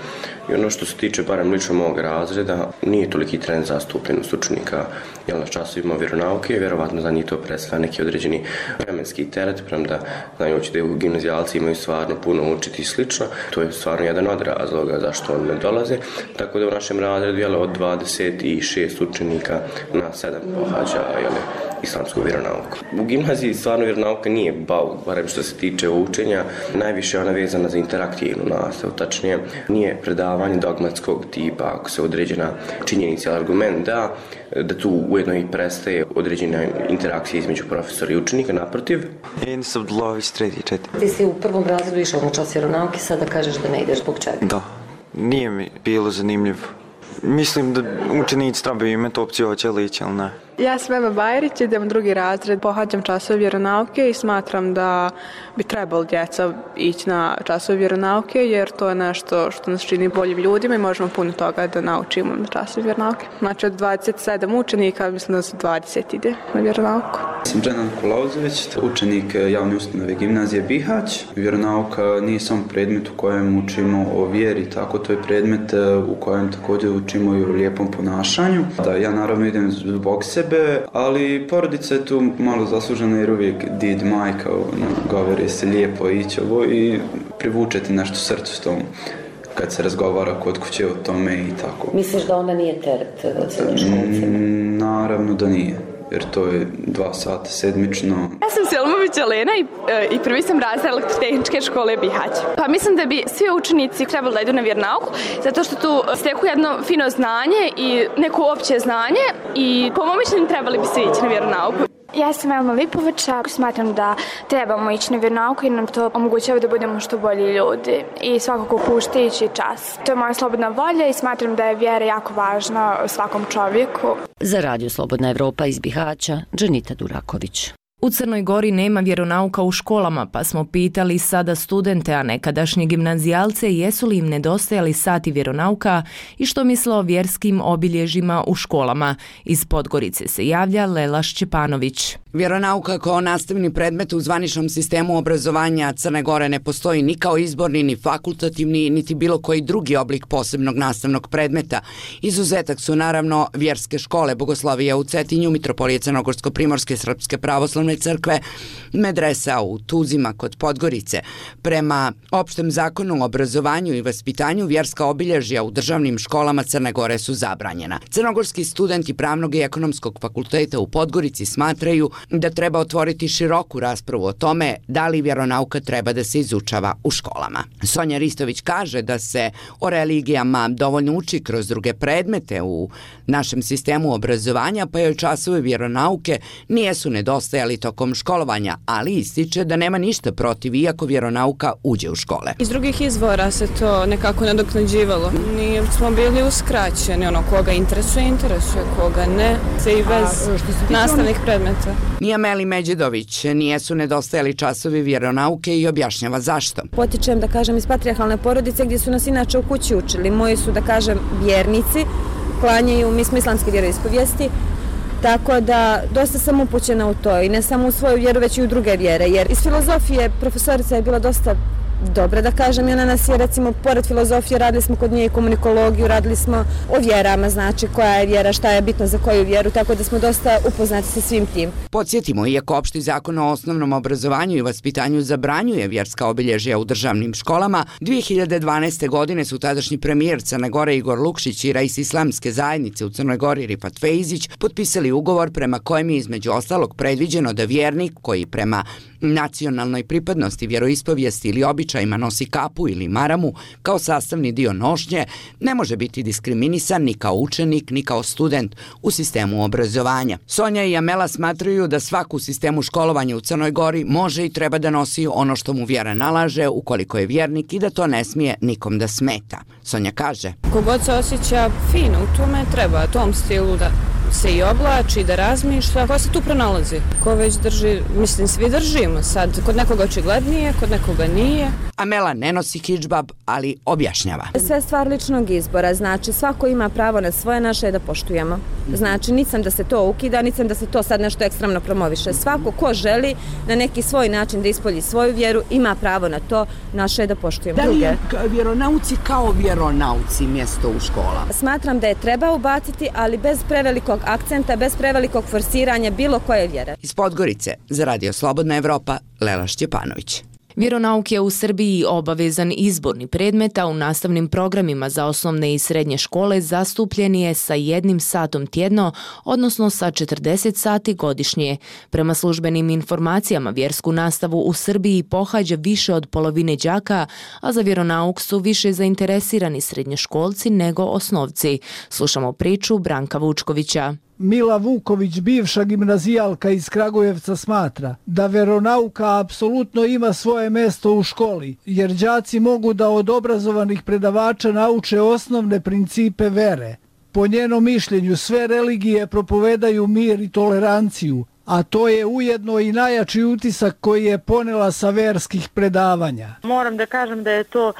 i ono što se tiče barem lično mog razreda, nije toliki trend zastupljenost učenika jel na časovima vjeronauke, vjerovatno za njih to predstavlja neki određeni vremenski teret, premda znajući da u gimnazijalci imaju stvarno puno učiti i slično, to je stvarno jedan od razloga zašto oni ne dolaze, tako da u našem razredu jel, od dvadeset šest učenika na sedam pohađa jel, islamsku vjeronauku. U gimnaziji stvarno vjeronauka nije bauk, barem što se tiče učenja, najviše je ona vezana za interaktivnu nastavu, tačnije nije predavanje dogmatskog tipa, ako se određena činjenica ili argument da, da tu ujedno i prestaje određena interakcija između profesora i učenika, naprotiv. Enis Abdullahović, treći četiri. Ti si u prvom razredu išao na čas vjeronauke, sada kažeš da ne ideš zbog čega? Da, nije mi bilo zanimljivo. Mislim da učenici trebaju imati opciju hoće li ići ili ne. Ja sam Eva Bajrić, idem u drugi razred, pohađam časove vjeronauke i smatram da bi trebalo djeca ići na časove vjeronauke jer to je nešto što nas čini boljim ljudima i možemo puno toga da naučimo na časove vjeronauke. Znači od dvadeset sedam učenika mislim da se dvadeset ide na vjeronauku. Sam Dženan Kulauzović, učenik javne ustanove Gimnazije Bihać. Vjeronauka nije samo predmet u kojem učimo o vjeri, tako to je predmet u kojem također učimo i o lijepom ponašanju. Da, ja naravno idem zbog sebe, ali porodica je tu malo zaslužena jer uvijek did majka govori se lijepo ići ovo i privučeti nešto srcu s tom kad se razgovara kod kuće o tome i tako. Misliš da ona nije teret? Mm, naravno da nije. jer to je dva sata sedmično. Ja sam Selmović Elena i, i prvi sam razred elektrotehničke škole Bihać. Pa mislim da bi svi učenici trebali da idu na vjeronauku, zato što tu steku jedno fino znanje i neko opće znanje i po mom mišljenju trebali bi svi ići na vjeronauku. Ja sam Elma Lipovića, smatram da trebamo ići na vjeronauku jer nam to omogućava da budemo što bolji ljudi i svakako puštajući čas. To je moja slobodna volja i smatram da je vjera jako važna svakom čovjeku. Za Radio Slobodna Evropa iz Bihaća, Dženita Duraković. U Crnoj Gori nema vjeronauka u školama, pa smo pitali sada studente, a nekadašnje gimnazijalce, jesu li im nedostajali sati vjeronauka i što misle o vjerskim obilježjima u školama. Iz Podgorice se javlja Lela Šćepanović. Vjeronauka kao nastavni predmet u zvaničnom sistemu obrazovanja Crne Gore ne postoji ni kao izborni, ni fakultativni, niti bilo koji drugi oblik posebnog nastavnog predmeta. Izuzetak su naravno vjerske škole, Bogoslovija u Cetinju, Mitropolije Crnogorsko-Primorske Srpske pravoslavne crkve, medresa u Tuzima kod Podgorice. Prema opštem zakonu o obrazovanju i vaspitanju, vjerska obilježja u državnim školama Crne Gore su zabranjena. Crnogorski studenti Pravnog i ekonomskog fakulteta u Podgorici smatraju da treba otvoriti široku raspravu o tome da li vjeronauka treba da se izučava u školama. Sonja Ristović kaže da se o religijama dovoljno uči kroz druge predmete u našem sistemu obrazovanja, pa joj časovi vjeronauke nijesu nedostajali tokom školovanja, ali ističe da nema ništa protiv iako vjeronauka uđe u škole. Iz drugih izvora se to nekako nadoknađivalo. Nije smo bili uskraćeni, ono koga interesuje, interesuje, koga ne, se i bez nastavnih predmeta. Ni Ameli Međedović nijesu nedostajali časovi vjeronauke i objašnjava zašto. Potičem, da kažem, iz patrijarhalne porodice gdje su nas inače u kući učili. Moji su, da kažem, vjernici, klanjaju, mi smo islamske vjeroispovijesti, tako da dosta sam upućena u to i ne samo u svoju vjeru, već i u druge vjere, jer iz filozofije profesorica je bila dosta dobra, da kažem, i ona nas je, recimo, pored filozofije radili smo kod nje i komunikologiju, radili smo o vjerama, znači koja je vjera, šta je bitno za koju vjeru, tako da smo dosta upoznati sa svim tim. Podsjetimo, iako opšti zakon o osnovnom obrazovanju i vaspitanju zabranjuje vjerska obilježja u državnim školama, dvije hiljade dvanaeste. godine su tadašnji premijer Crne Gore Igor Lukšić i rais islamske zajednice u Crnoj Gori Rifat Fejzić potpisali ugovor prema kojem je između ostalog predviđeno da vjernik koji prema nacionalnoj pripadnosti, vjeroispovijesti ili običajima nosi kapu ili maramu kao sastavni dio nošnje, ne može biti diskriminisan ni kao učenik, ni kao student u sistemu obrazovanja. Sonja i Amela smatraju da svako u sistemu školovanja u Crnoj Gori može i treba da nosi ono što mu vjera nalaže ukoliko je vjernik i da to ne smije nikom da smeta. Sonja kaže: Kogod se osjeća fino u tome, treba tom stilu da se i oblači, da razmišlja. Ko se tu pronalazi? Ko već drži, mislim, svi držimo. Sad, kod nekoga očiglednije, kod nekoga nije. Amela ne nosi hidžbab, ali objašnjava. Sve stvar ličnog izbora, znači svako ima pravo na svoje, naše da poštujemo. Znači, nisam da se to ukida, nisam da se to sad nešto ekstremno promoviše. Svako ko želi na neki svoj način da ispolji svoju vjeru, ima pravo na to, naše da poštujemo. Da li je vjeronauci kao vjeronauci mjesto u školama? Smatram da je treba ubaciti, ali bez prevelikog akcenta, bez prevelikog forsiranja bilo koje vjere. Iz Podgorice za Radio Slobodna Evropa, Lela Šćepanović. Vjeronauk je u Srbiji obavezan izborni predmet, a u nastavnim programima za osnovne i srednje škole zastupljen je sa jednim satom tjedno, odnosno sa četrdeset sati godišnje. Prema službenim informacijama, vjersku nastavu u Srbiji pohađa više od polovine đaka, a za vjeronauk su više zainteresirani srednjoškolci nego osnovci. Slušamo priču Branka Vučkovića. Mila Vuković, bivša gimnazijalka iz Kragujevca, smatra da vjeronauka apsolutno ima svoje mjesto u školi, jer đaci mogu da od obrazovanih predavača nauče osnovne principe vere. Po njenom mišljenju sve religije propovedaju mir i toleranciju, a to je ujedno i najjači utisak koji je ponela sa verskih predavanja. Moram da kažem da je to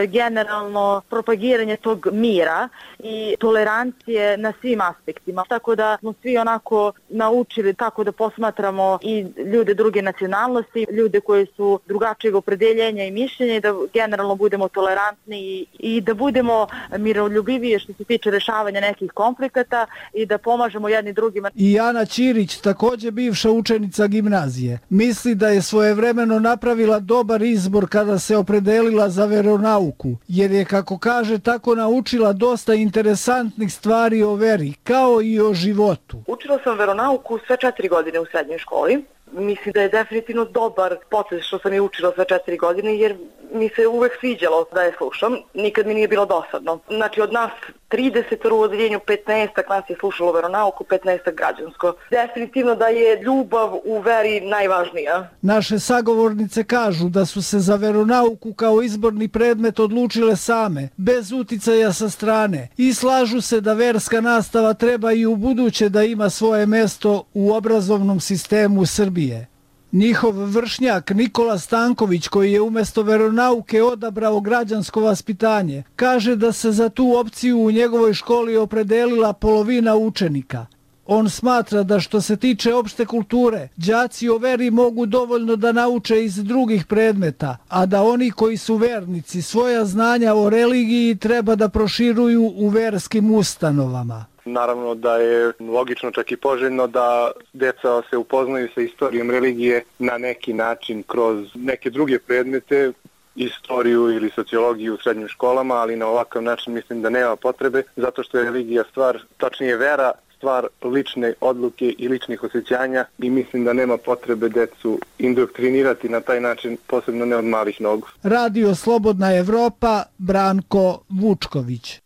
generalno propagiranje tog mira i tolerancije na svim aspektima. Tako da smo svi onako naučili kako da posmatramo i ljude druge nacionalnosti, ljude koji su drugačijeg opredeljenja i mišljenja i da generalno budemo tolerantni i, i da budemo miroljubiviji što se tiče rešavanja nekih konflikata i da pomažemo jedni drugima. I Ana Ćirić, također bi bivša učenica gimnazije. Misli da je svojevremeno napravila dobar izbor kada se opredelila za veronauku, jer je, kako kaže, tako naučila dosta interesantnih stvari o veri, kao i o životu. Učila sam veronauku sve četiri godine u srednjoj školi. Mislim da je definitivno dobar potez što sam je učila sve četiri godine, jer mi se uvek sviđalo da je slušam. Nikad mi nije bilo dosadno. Znači od nas trideset u odeljenju, petnaest nas je slušalo veronauku, petnaest građansko. Definitivno da je ljubav u veri najvažnija. Naše sagovornice kažu da su se za veronauku kao izborni predmet odlučile same, bez uticaja sa strane, i slažu se da verska nastava treba i u buduće da ima svoje mesto u obrazovnom sistemu Srbije. Njihov vršnjak Nikola Stanković, koji je umjesto veronauke odabrao građansko vaspitanje, kaže da se za tu opciju u njegovoj školi opredelila polovina učenika. On smatra da što se tiče opšte kulture, đaci o veri mogu dovoljno da nauče iz drugih predmeta, a da oni koji su vernici svoja znanja o religiji treba da proširuju u verskim ustanovama. Naravno da je logično, čak i poželjno, da deca se upoznaju sa istorijom religije na neki način kroz neke druge predmete, istoriju ili sociologiju u srednjim školama, ali na ovakav način mislim da nema potrebe, zato što je religija stvar, tačnije vera, stvar lične odluke i ličnih osjećanja, i mislim da nema potrebe decu indoktrinirati na taj način, posebno ne od malih nogu. Radio Slobodna Evropa, Branko Vučković.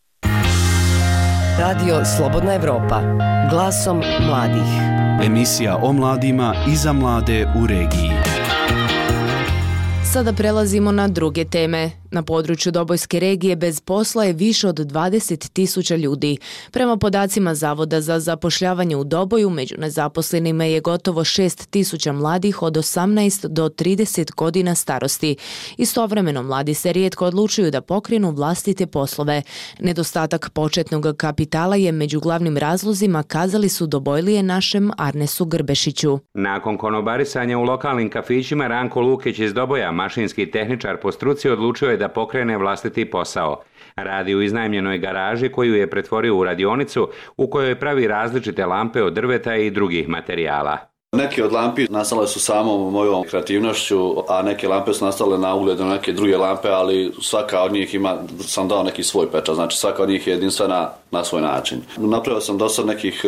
Radio Slobodna Evropa, glasom mladih. Emisija o mladima i za mlade u regiji. Sada prelazimo na druge teme. Na području Dobojske regije bez posla je više od dvadeset tisuća ljudi. Prema podacima Zavoda za zapošljavanje u Doboju, među nezaposlenima je gotovo šest tisuća mladih od osamnaest do trideset godina starosti. Istovremeno mladi se rijetko odlučuju da pokrenu vlastite poslove. Nedostatak početnog kapitala je među glavnim razlozima, kazali su Dobojlije našem Arnesu Grbešiću. Nakon konobarisanja u lokalnim kafićima, Ranko Lukić iz Doboja, mašinski tehničar po struci, odlučio je da pokrene vlastiti posao. Radi u iznajmljenoj garaži koju je pretvorio u radionicu u kojoj pravi različite lampe od drveta i drugih materijala. Neke od lampi nastale su samom mojom kreativnošću, a neke lampe su nastale na ugled na neke druge lampe, ali svaka od njih ima, sam dao neki svoj pečat, znači svaka od njih je jedinstvena na svoj način. Napravio sam do sad nekih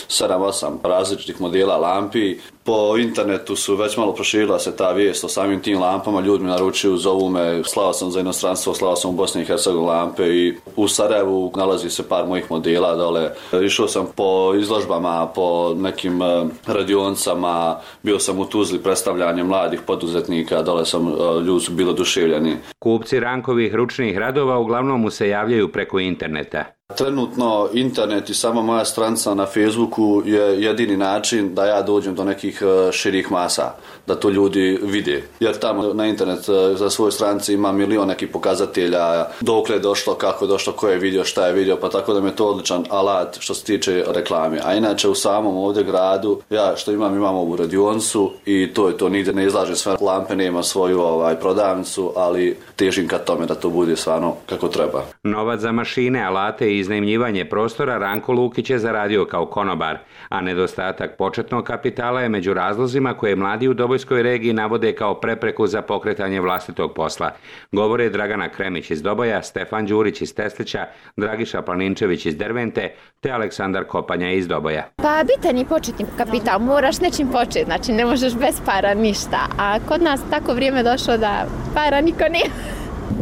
sedam osam različitih modela lampi. Po internetu su već malo proširila se ta vijest o samim tim lampama, ljudi mi naručuju, zovu me, slao sam za inostranstvo, slao sam u Bosni i Hercegovini lampe, i u Sarajevu nalazi se par mojih modela dole. Išao sam po izložbama, po nekim radionicama, bio sam u Tuzli predstavljanje mladih poduzetnika, dole sam, ljudi su bili oduševljeni. Kupci Rankovih ručnih radova uglavnom mu se javljaju preko interneta. Trenutno internet i sama moja stranica na Facebooku je jedini način da ja dođem do nekih širih masa, da to ljudi vide. Jer tamo na internet za svoje stranice ima milion nekih pokazatelja, dokle je došlo, kako je došlo, ko je vidio, šta je vidio, pa tako da mi je to odličan alat što se tiče reklame. A inače u samom ovdje gradu, ja što imam, imam ovu radionicu i to je to, nigdje ne izlažem sve lampe, nema svoju ovaj, prodavnicu, ali težim ka tome da to bude stvarno kako treba. Novac za mašine, alate i iznajmljivanje prostora Ranko Lukić je zaradio kao konobar, a nedostatak početnog kapitala je među razlozima koje mladi u Dobojskoj regiji navode kao prepreku za pokretanje vlastitog posla. Govore Dragana Kremić iz Doboja, Stefan Đurić iz Teslića, Dragiša Planinčević iz Dervente te Aleksandar Kopanja iz Doboja. Pa bitan je početni kapital, moraš nečim početi, znači ne možeš bez para ništa, a kod nas tako vrijeme došlo da para niko nije.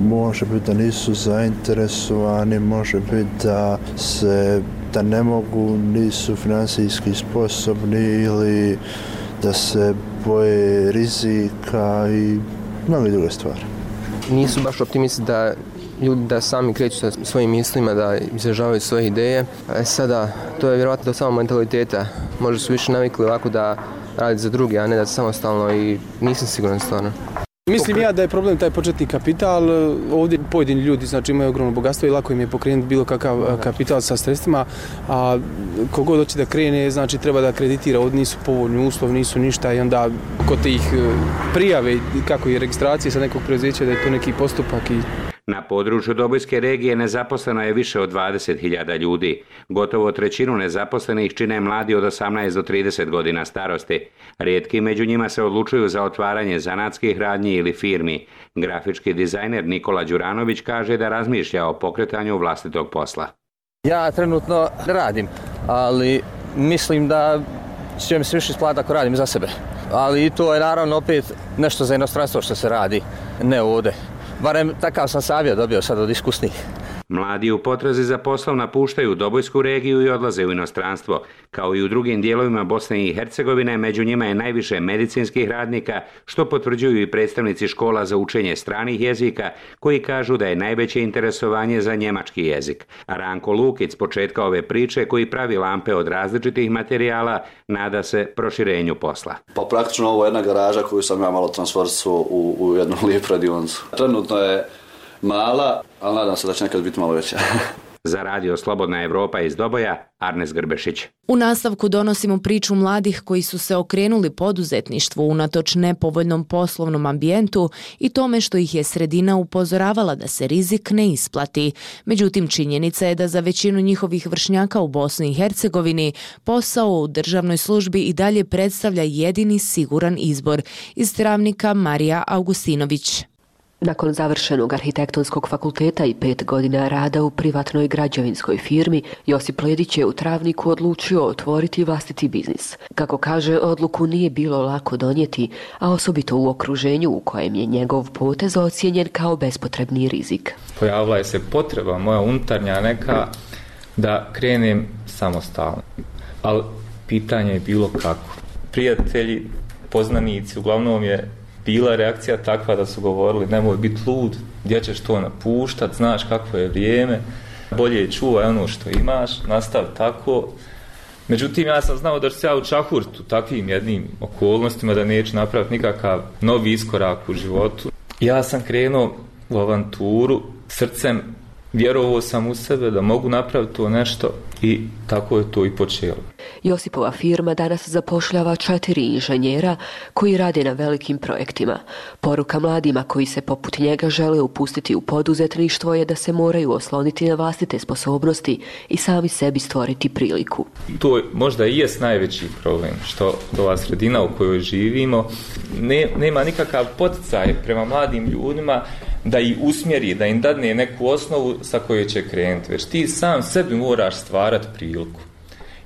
Može biti da nisu zainteresovani, može biti da se da ne mogu, nisu financijski sposobni ili da se boje rizika i mnogo druge stvari. Nisu baš optimisti da ljudi da sami kreću sa svojim mislima, da izražavaju svoje ideje. E sada, to je vjerojatno do samog mentaliteta. Možda su više navikli ovako da radi za druge, a ne da samostalno, i nisam siguran stvarno. Mislim ja da je problem taj početni kapital. Ovdje pojedini ljudi znači imaju ogromno bogatstvo i lako im je pokrenuti bilo kakav kapital sa sredstvima, a kogod hoće da krene znači treba da kreditira, ovdje nisu povoljni uslovi, nisu ništa, i onda kod tih prijave kako je registracije sa nekog preduzeća da je to neki postupak. I Na području Dobojske regije nezaposleno je više od dvadeset hiljada ljudi. Gotovo trećinu nezaposlenih čine mladi od osamnaest do trideset godina starosti. Rijetki među njima se odlučuju za otvaranje zanatskih radnji ili firmi. Grafički dizajner Nikola Đuranović kaže da razmišlja o pokretanju vlastitog posla. Ja trenutno radim, ali mislim da će mi se više isplatiti ako radim za sebe. Ali i to je naravno opet nešto za inostranstvo što se radi, ne ovdje. Barem takav sam savjet dobio sad od iskusnih. Mladi u potrazi za poslom napuštaju Dobojsku regiju i odlaze u inostranstvo. Kao i u drugim dijelovima Bosne i Hercegovine, među njima je najviše medicinskih radnika, što potvrđuju i predstavnici škola za učenje stranih jezika, koji kažu da je najveće interesovanje za njemački jezik. Ranko Lukić s početka ove priče, koji pravi lampe od različitih materijala, nada se proširenju posla. Pa praktično ovo je jedna garaža koju sam ja malo transformировao u, u jednu lijepu radionicu. Trenutno je mala, ali nadam se da će nekad biti malo veća. Za radio Slobodna Evropa iz Doboja, Arnes Grbešić. U nastavku donosimo priču mladih koji su se okrenuli poduzetništvu unatoč nepovoljnom poslovnom ambijentu i tome što ih je sredina upozoravala da se rizik ne isplati. Međutim, činjenica je da za većinu njihovih vršnjaka u Bosni i Hercegovini posao u državnoj službi i dalje predstavlja jedini siguran izbor. Iz Travnika Marija Augustinović. Nakon završenog arhitektonskog fakulteta i pet godina rada u privatnoj građevinskoj firmi, Josip Ledić je u Travniku odlučio otvoriti vlastiti biznis. Kako kaže, odluku nije bilo lako donijeti, a osobito u okruženju u kojem je njegov potez ocijenjen kao bespotrebni rizik. Pojavila je se potreba moja unutarnja neka da krenem samostalno, ali pitanje je bilo kako. Prijatelji, poznanici, uglavnom je bila reakcija takva da su govorili nemoj biti lud, gdje ćeš to napuštat, znaš kakvo je vrijeme, bolje je čuvaj ono što imaš, nastavi tako. Međutim, ja sam znao da ću se ja učahuriti u takvim jednim okolnostima, da neću napraviti nikakav novi iskorak u životu. Ja sam krenuo u avanturu srcem, vjerovao sam u sebe da mogu napraviti to nešto i tako je to i počelo. Josipova firma danas zapošljava četiri inženjera koji rade na velikim projektima. Poruka mladima koji se poput njega žele upustiti u poduzetništvo je da se moraju osloniti na vlastite sposobnosti i sami sebi stvoriti priliku. To možda i jest najveći problem, što ova sredina u kojoj živimo ne, nema nikakav poticaj prema mladim ljudima da ih usmjeri, da im dadne neku osnovu sa kojoj će krenuti, već ti sam sebi moraš stvarati priliku.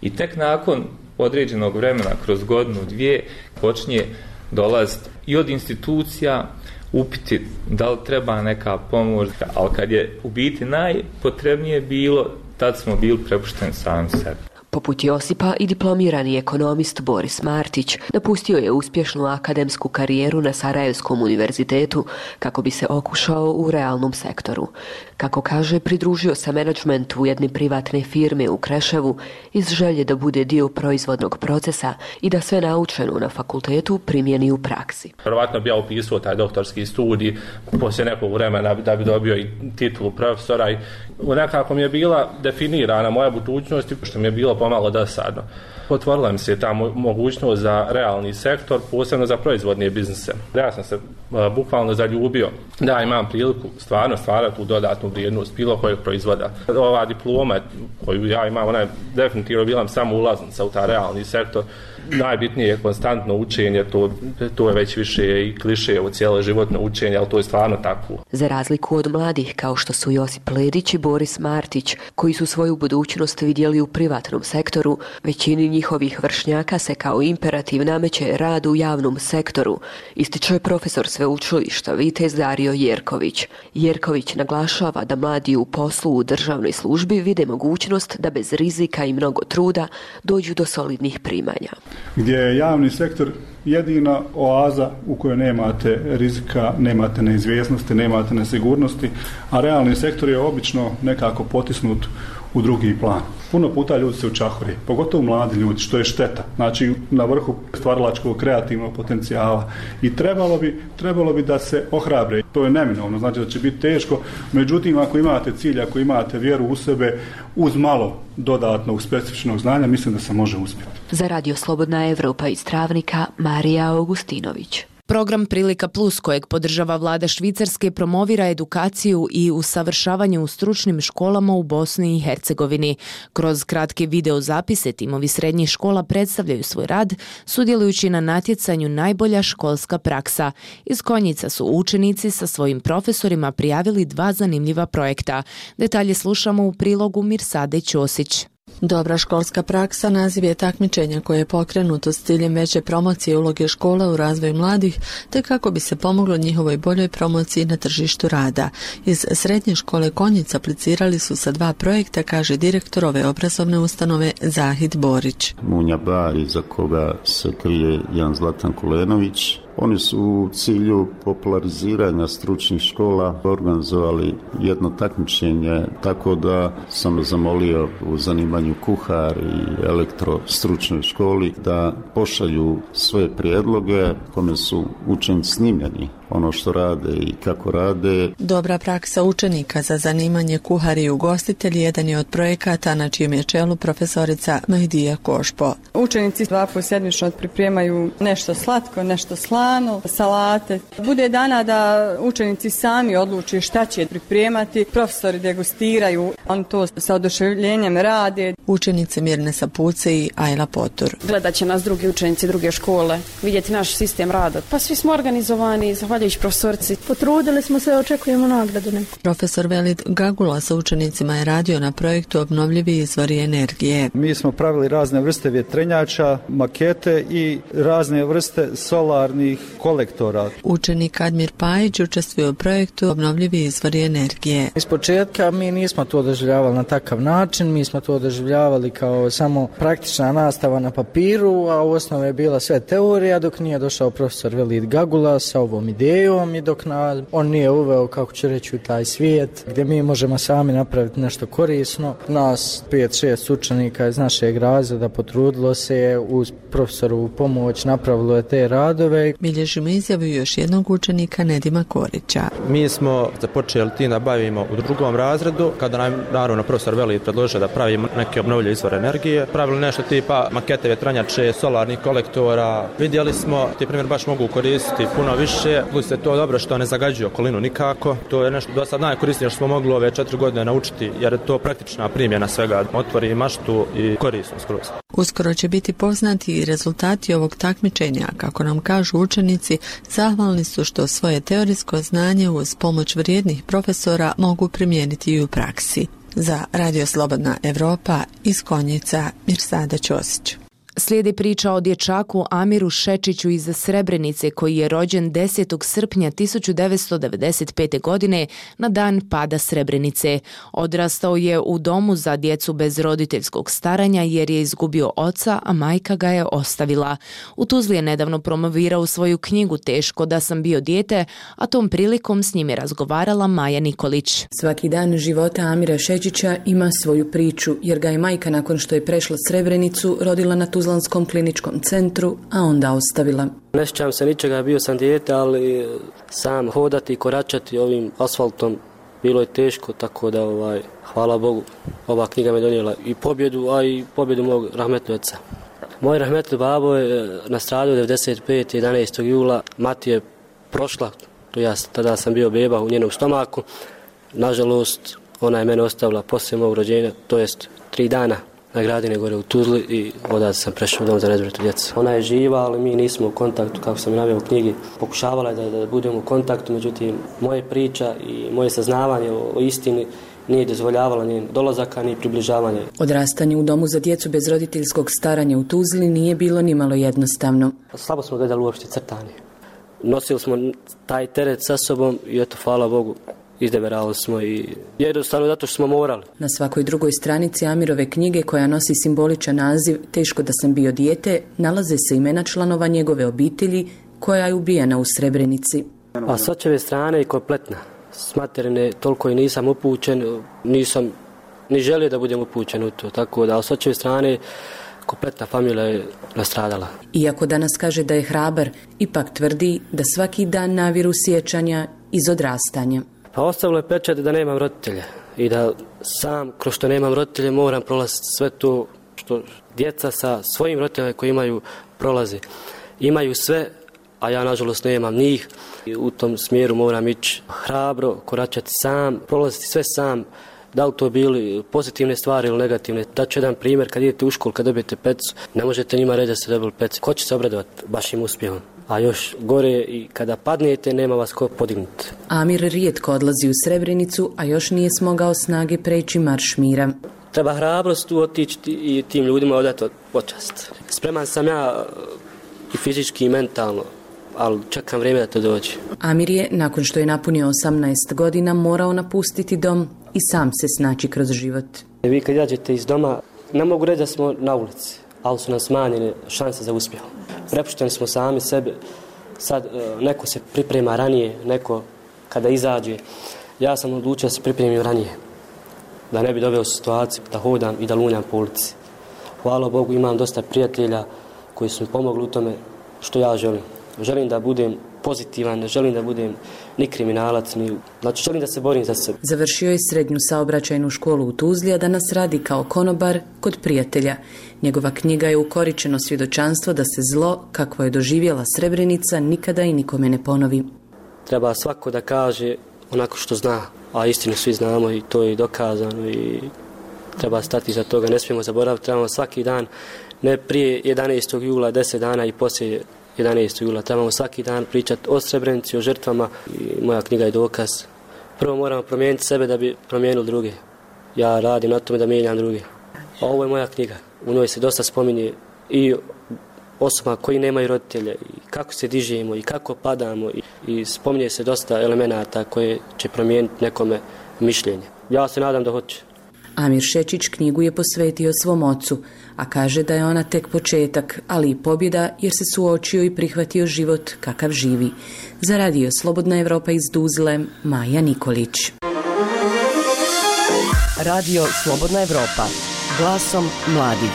I tek nakon određenog vremena, kroz godinu, dvije, počinje dolaziti i od institucija upiti da li treba neka pomoć, ali kad je u biti najpotrebnije bilo, tad smo bili prepušteni sami sebi. Poput Josipa i diplomirani ekonomist Boris Martić napustio je uspješnu akademsku karijeru na Sarajevskom univerzitetu kako bi se okušao u realnom sektoru. Kako kaže, pridružio se menadžmentu jedne privatne firme u Kreševu iz želje da bude dio proizvodnog procesa i da sve naučeno na fakultetu primjeni u praksi. Vjerovatno bi ja upisao taj doktorski studij poslije nekog vremena da bi dobio i titulu profesora i nekako mi je bila definirana moja budućnost, što mi je bilo pomalo dosadno. Otvorila mi se ta mogućnost za realni sektor, posebno za proizvodne biznise. Ja sam se uh, bukvalno zaljubio da imam priliku stvarno stvarati tu dodatnu vrijednost bilo kojeg proizvoda. Ova diploma koju ja imam, ona je definitivno bila samo ulaznica u ta realni sektor. Najbitnije je konstantno učenje, to, to je već više i kliše u cijelo životno učenje, ali to je stvarno tako. Za razliku od mladih kao što su Josip Ledić i Boris Martić, koji su svoju budućnost vidjeli u privatnom sektoru, većini njihovih vršnjaka se kao imperativ nameće rad u javnom sektoru, ističe profesor sveučilišta Vitez Dario Jerković. Jerković naglašava da mladi u poslu u državnoj službi vide mogućnost da bez rizika i mnogo truda dođu do solidnih primanja. Gdje je javni sektor jedina oaza u kojoj nemate rizika, nemate neizvjesnosti, nemate nesigurnosti, a realni sektor je obično nekako potisnut u drugi plan. Puno puta ljudi se učahuri, pogotovo mladi ljudi, što je šteta. Znači, na vrhu stvaralačkog kreativnog potencijala. I trebalo bi, trebalo bi da se ohrabre. To je neminovno, znači da će biti teško. Međutim, ako imate cilj, ako imate vjeru u sebe, uz malo dodatnog specifičnog znanja, mislim da se može uspjeti. Za radio Slobodna Evropa iz Travnika, Marija Augustinović. Program Prilika Plus kojeg podržava vlada Švicarske promovira edukaciju i usavršavanje u stručnim školama u Bosni i Hercegovini. Kroz kratke videozapise timovi srednjih škola predstavljaju svoj rad, sudjelujući na natjecanju Najbolja školska praksa. Iz Konjica su učenici sa svojim profesorima prijavili dva zanimljiva projekta. Detalje slušamo u prilogu Mirsade Ćosić. Dobra školska praksa naziv je takmičenja koje je pokrenuto s ciljem veće promocije uloge škola u razvoju mladih, te kako bi se pomoglo njihovoj boljoj promociji na tržištu rada. Iz srednje škole Konjic aplicirali su sa dva projekta, kaže direktor ove obrazovne ustanove Zahid Borić. Munja Bar, iza koga se krije Jan Zlatan Kulenović. Oni su u cilju populariziranja stručnih škola organizovali jedno takmičenje, tako da sam zamolio u zanimanju kuhar i elektrostručnoj školi da pošalju svoje prijedloge kome su učenici snimljeni ono što rade i kako rade. Dobra praksa učenika za zanimanje kuhari i ugostitelji jedan je od projekata na čijem je čelu profesorica Mahdija Košpo. Učenici dva puta sedmično pripremaju nešto slatko, nešto slano, salate. Bude dana da učenici sami odluče šta će pripremati, profesori degustiraju, oni to sa oduševljenjem rade. Učenice Mirne Sapuce i Ajla Potur. Gledat će nas drugi učenici druge škole, vidjeti naš sistem rada. Pa svi smo organizovani, zahvaljujući profesorici. Potrudili smo se, očekujemo nagradu neku. Profesor Velid Gagula sa učenicima je radio na projektu Obnovljivi izvori energije. Mi smo pravili razne vrste vjetrenjača, makete i razne vrste solarnih kolektora. Učenik Admir Pajić učestvuje u projektu Obnovljivi izvori energije. Iz početka mi nismo to doživljavali na takav način, mi smo to doživljavali kao samo praktična nastava na papiru, a u osnovi je bila sve teorija dok nije došao profesor Velid Gagula sa ovom idejom i dok na, on nije uveo, kako ću reći, u taj svijet gdje mi možemo sami napraviti nešto korisno. Nas pet šest učenika iz našeg razreda potrudilo se uz profesorovu pomoć, napravilo je te radove. Bilježimo izjavu još jednog učenika Nedima Korića. Mi smo započeli tim da bavimo u drugom razredu, kada nam naravno profesor Velid predložio da pravimo neke obnovljive izvore energije. Pravili nešto tipa makete vjetrenjače, solarnih kolektora. Vidjeli smo, ti primjer baš mogu koristiti puno više, plus je to dobro što ne zagađuje okolinu nikako. To je nešto do sad najkorisnije što smo mogli ove četiri godine naučiti, jer je to praktična primjena svega, otvori maštu i korisno skroz. Uskoro će biti poznati i rezultati ovog takmičenja, kako nam kažu učenici, zahvalni su što svoje teorijsko znanje uz pomoć vrijednih profesora mogu primijeniti i u praksi. Za Radio Slobodna Evropa iz Konjica, Mirsada Ćosić. Slijedi priča o dječaku Amiru Šečiću iz Srebrenice koji je rođen desetog srpnja tisuću devetsto devedeset pete. godine na dan pada Srebrenice. Odrastao je u domu za djecu bez roditeljskog staranja jer je izgubio oca, a majka ga je ostavila. U Tuzli je nedavno promovirao svoju knjigu Teško da sam bio dijete, a tom prilikom s njim je razgovarala Maja Nikolić. Svaki dan života Amira Šečića ima svoju priču jer ga je majka nakon što je prešla Srebrenicu rodila na Tuzli Tuzlanskom kliničkom centru, a onda ostavila. Ne sjećam se ničega, bio sam dijete, ali sam hodati i koračati ovim asfaltom bilo je teško, tako da ovaj, hvala Bogu, ova knjiga me donijela i pobjedu, a i pobjedu mog rahmetnog oca. Moj rahmetli babo je nastradio devedeset pete. jedanaestog jula, mati je prošla, to ja tada sam bio beba u njenom stomaku. Nažalost, ona je mene ostavila poslije mog rođenja, to jest tri dana. Na Gradine gore u Tuzli i odatle sam prešao u dom za nezbrinutu djecu. Ona je živa, ali mi nismo u kontaktu, kako sam i naveo u knjigi. Pokušavala je da, da budemo u kontaktu, međutim, moje priča i moje saznavanje o, o istini nije dozvoljavalo ni dolazaka, ni približavanje. Odrastanje u domu za djecu bez roditeljskog staranja u Tuzli nije bilo ni malo jednostavno. Slabo smo gledali uopšte crtanje. Nosili smo taj teret sa sobom i eto, hvala Bogu, izdeverali smo i jednostavno zato što smo morali. Na svakoj drugoj stranici Amirove knjige, koja nosi simboličan naziv Teško da sam bio dijete, nalaze se imena članova njegove obitelji koja je ubijena u Srebrenici. A s očeve strane je kompletna. S materine toliko i nisam upućen, nisam ni želio da budem upućen u to, tako da s očeve strane kompletna familija je nastradala. Iako danas kaže da je hrabar, ipak tvrdi da svaki dan naviru sjećanja iz odrastanja. Pa ostavilo je pečat da nemam roditelja i da sam, kroz što nemam roditelje, moram prolaziti sve to što djeca sa svojim roditeljima koji imaju prolaze. Imaju sve, a ja nažalost nemam njih. I u tom smjeru moram ići hrabro, koračati sam, prolaziti sve sam. Da li to bili pozitivne stvari ili negativne? Daću jedan primjer, kad idete u školu, kad dobijete pecu, ne možete njima reći da ste dobili pecu. Ko će se obradovati vašim uspjehom? A još gore i kada padnete, nema vas ko podignuti. Amir rijetko odlazi u Srebrenicu, a još nije smogao snage preći marš mira. Treba hrabrost tu otići i tim ljudima odati počast. Spreman sam ja i fizički i mentalno, ali čekam vrijeme da to dođe. Amir je, nakon što je napunio osamnaest godina, morao napustiti dom i sam se snaći kroz život. Vi kad izađete iz doma, ne mogu reći da smo na ulici, ali su nam smanjene šanse za uspjeh. Prepušteni smo sami sebe. Sad neko se priprema ranije, neko kada izađe. Ja sam odlučio da se pripremim ranije. Da ne bi doveo situaciju da hodam i da lunjam po ulici. Hvala Bogu, imam dosta prijatelja koji su mi pomogli u tome što ja želim. Želim da budem pozitivan, ne želim da budem ni kriminalac, ni... Znači, želim da se borim za sebe. Završio je srednju saobraćajnu školu u Tuzli, a danas radi kao konobar kod prijatelja. Njegova knjiga je ukoričeno svjedočanstvo da se zlo, kakvo je doživjela Srebrenica, nikada i nikome ne ponovi. Treba svako da kaže onako što zna, a istinu svi znamo i to je dokazano i treba stati za toga. Ne smijemo zaboraviti, trebamo svaki dan, ne prije jedanaestog jula, deset dana i poslije jedanaestog jula. Trebamo svaki dan pričati o Srebrenici, o žrtvama i moja knjiga je dokaz. Prvo moramo promijeniti sebe da bi promijenili druge. Ja radim na tome da mijenjam druge. A ovo je moja knjiga. U njoj se dosta spominje i osoba koji nemaju roditelje i kako se dižemo i kako padamo i, i spominje se dosta elemenata koje će promijeniti nekome mišljenje. Ja se nadam da hoće. Amir Šečić knjigu je posvetio svom ocu, a kaže da je ona tek početak, ali i pobjeda jer se suočio i prihvatio život kakav živi. Za radio Slobodna Evropa iz Tuzle, Maja Nikolić. Radio Slobodna Evropa, glasom mladih.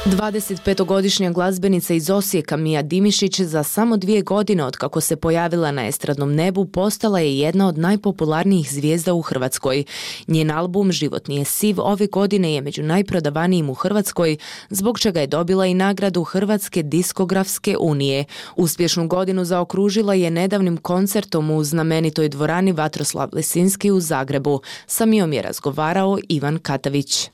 dvadesetpetogodišnja glazbenica iz Osijeka Mija Dimišić za samo dvije godine od kako se pojavila na estradnom nebu postala je jedna od najpopularnijih zvijezda u Hrvatskoj. Njen album Život nije siv ove godine je među najprodavanijim u Hrvatskoj, zbog čega je dobila i nagradu Hrvatske diskografske unije. Uspješnu godinu zaokružila je nedavnim koncertom u znamenitoj dvorani Vatroslav Lisinski u Zagrebu. Sa Mijom je razgovarao Ivan Katavić.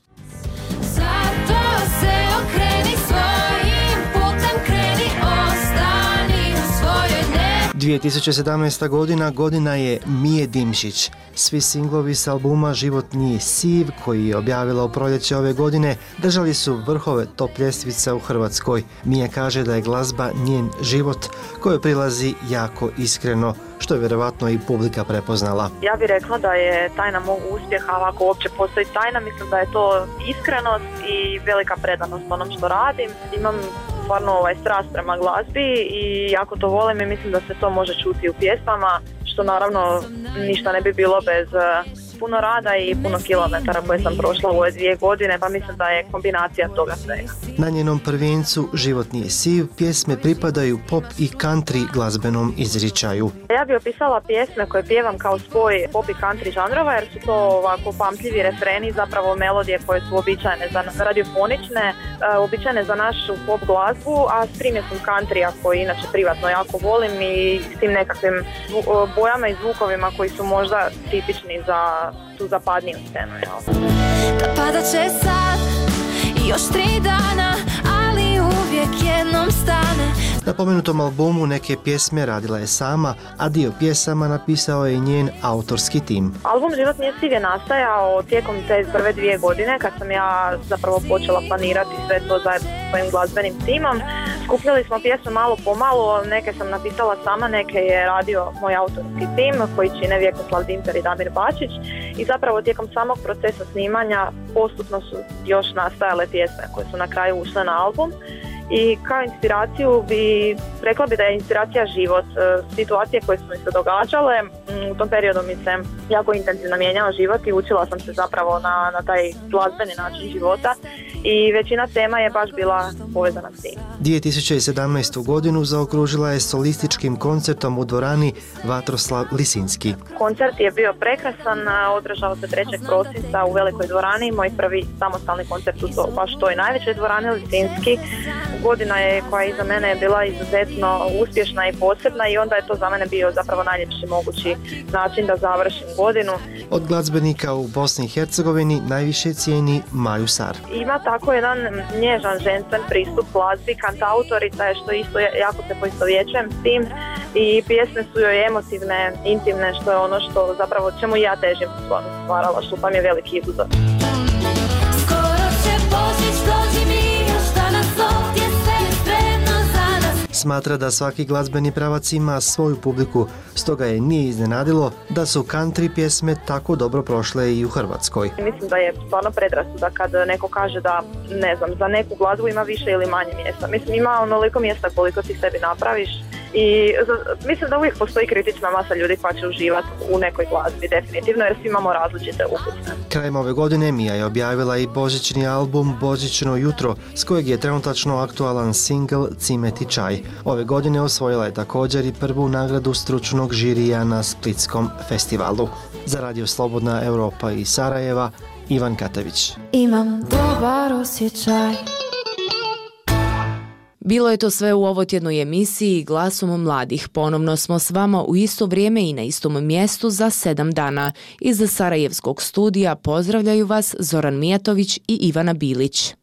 dvije tisuće sedamnaesta. godina godina je Mije Dimšić. Svi singlovi s albuma Život nije siv, koji je objavila u proljeće ove godine, držali su vrhove top ljestvica u Hrvatskoj. Mija kaže da je glazba njen život, kojoj prilazi jako iskreno, što je vjerovatno i publika prepoznala. Ja bih rekla da je tajna mog uspjeha, ako uopće postoji tajna, mislim da je to iskrenost i velika predanost onom što radim. Imam stvarno ovaj strast prema glazbi i jako to volim i mislim da se to može čuti u pjesmama, što naravno ništa ne bi bilo bez puno rada i puno kilometara koje sam prošla u ove dvije godine, pa mislim da je kombinacija toga svega. Na njenom prvencu Život nije siv pjesme pripadaju pop i country glazbenom izričaju. Ja bih opisala pjesme koje pjevam kao spoj pop i country žanrova, jer su to ovako pamtljivi refreni, zapravo melodije koje su običajne za radiofonične, običajne za našu pop glazbu, a s primjesom countrya koji inače privatno jako volim i s tim nekakvim bojama i zvukovima koji su možda tipični za tu zapadniju scenu. Pada će sad i još tri dana, ali uvijek jednom stane. Na pomenutom albumu neke pjesme radila je sama, a dio pjesama napisao je i njen autorski tim. Album Život nije siv je nastajao tijekom te prve dvije godine kad sam ja zapravo počela planirati sve to zajedno s svojim glazbenim timom. Skupljali smo pjesme malo po malo, neke sam napisala sama, neke je radio moj autorski tim koji čine Vjekoslav Dimper i Damir Bačić i zapravo tijekom samog procesa snimanja postupno su još nastajale pjesme koje su na kraju ušle na album. I kao inspiraciju bi, rekla bi da je inspiracija život, situacije koje su mi se događale. U tom periodu mi se jako intenzivno mijenjao život i učila sam se zapravo na, na taj glazbeni način života i većina tema je baš bila povezana s tim. dvije tisuće sedamnaestu. godinu zaokružila je solističkim koncertom u dvorani Vatroslav Lisinski. Koncert je bio prekrasan, održao se trećeg prosinca u velikoj dvorani, moj prvi samostalni koncert u to, baš toj najvećoj dvorani Lisinski. godina je koja je iza mene je bila izuzetno uspješna i posebna i onda je to za mene bio zapravo najljepši mogući način da završim godinu. Od glazbenika u Bosni i Hercegovini najviše cijeni Maju Sar. Ima tako jedan nježan ženstven pristup glazbi, kantautorica je što isto jako se poistovjećujem s tim i pjesme su joj emotivne, intimne, što je ono što zapravo čemu ja težim u svom stvaralaštvu, pa mi je veliki izuzor. Smatra da svaki glazbeni pravac ima svoju publiku, stoga je nije iznenadilo da su country pjesme tako dobro prošle i u Hrvatskoj. Mislim da je stvarno predrasuda kad neko kaže da, ne znam, za neku glazbu ima više ili manje mjesta. Mislim, ima onoliko mjesta koliko ti sebi napraviš i mislim da uvijek postoji kritična masa ljudi koja će uživati u nekoj glazbi, definitivno, jer svi imamo različite ukuse. Krajem ove godine Mija je objavila i božićni album Božićno jutro, s kojeg je trenutačno aktualan singl Cimet i čaj. Ove godine osvojila je također i prvu nagradu stručnog žirija na Splitskom festivalu. Za Radio Slobodna Europa iz Sarajeva, Ivan Katavić. Imam dobar osjećaj. Bilo je to sve u ovotjednoj emisiji Glasom mladih. Ponovno smo s vama u isto vrijeme i na istom mjestu za sedam dana. Iz Sarajevskog studija pozdravljaju vas Zoran Mijatović i Ivana Bilić.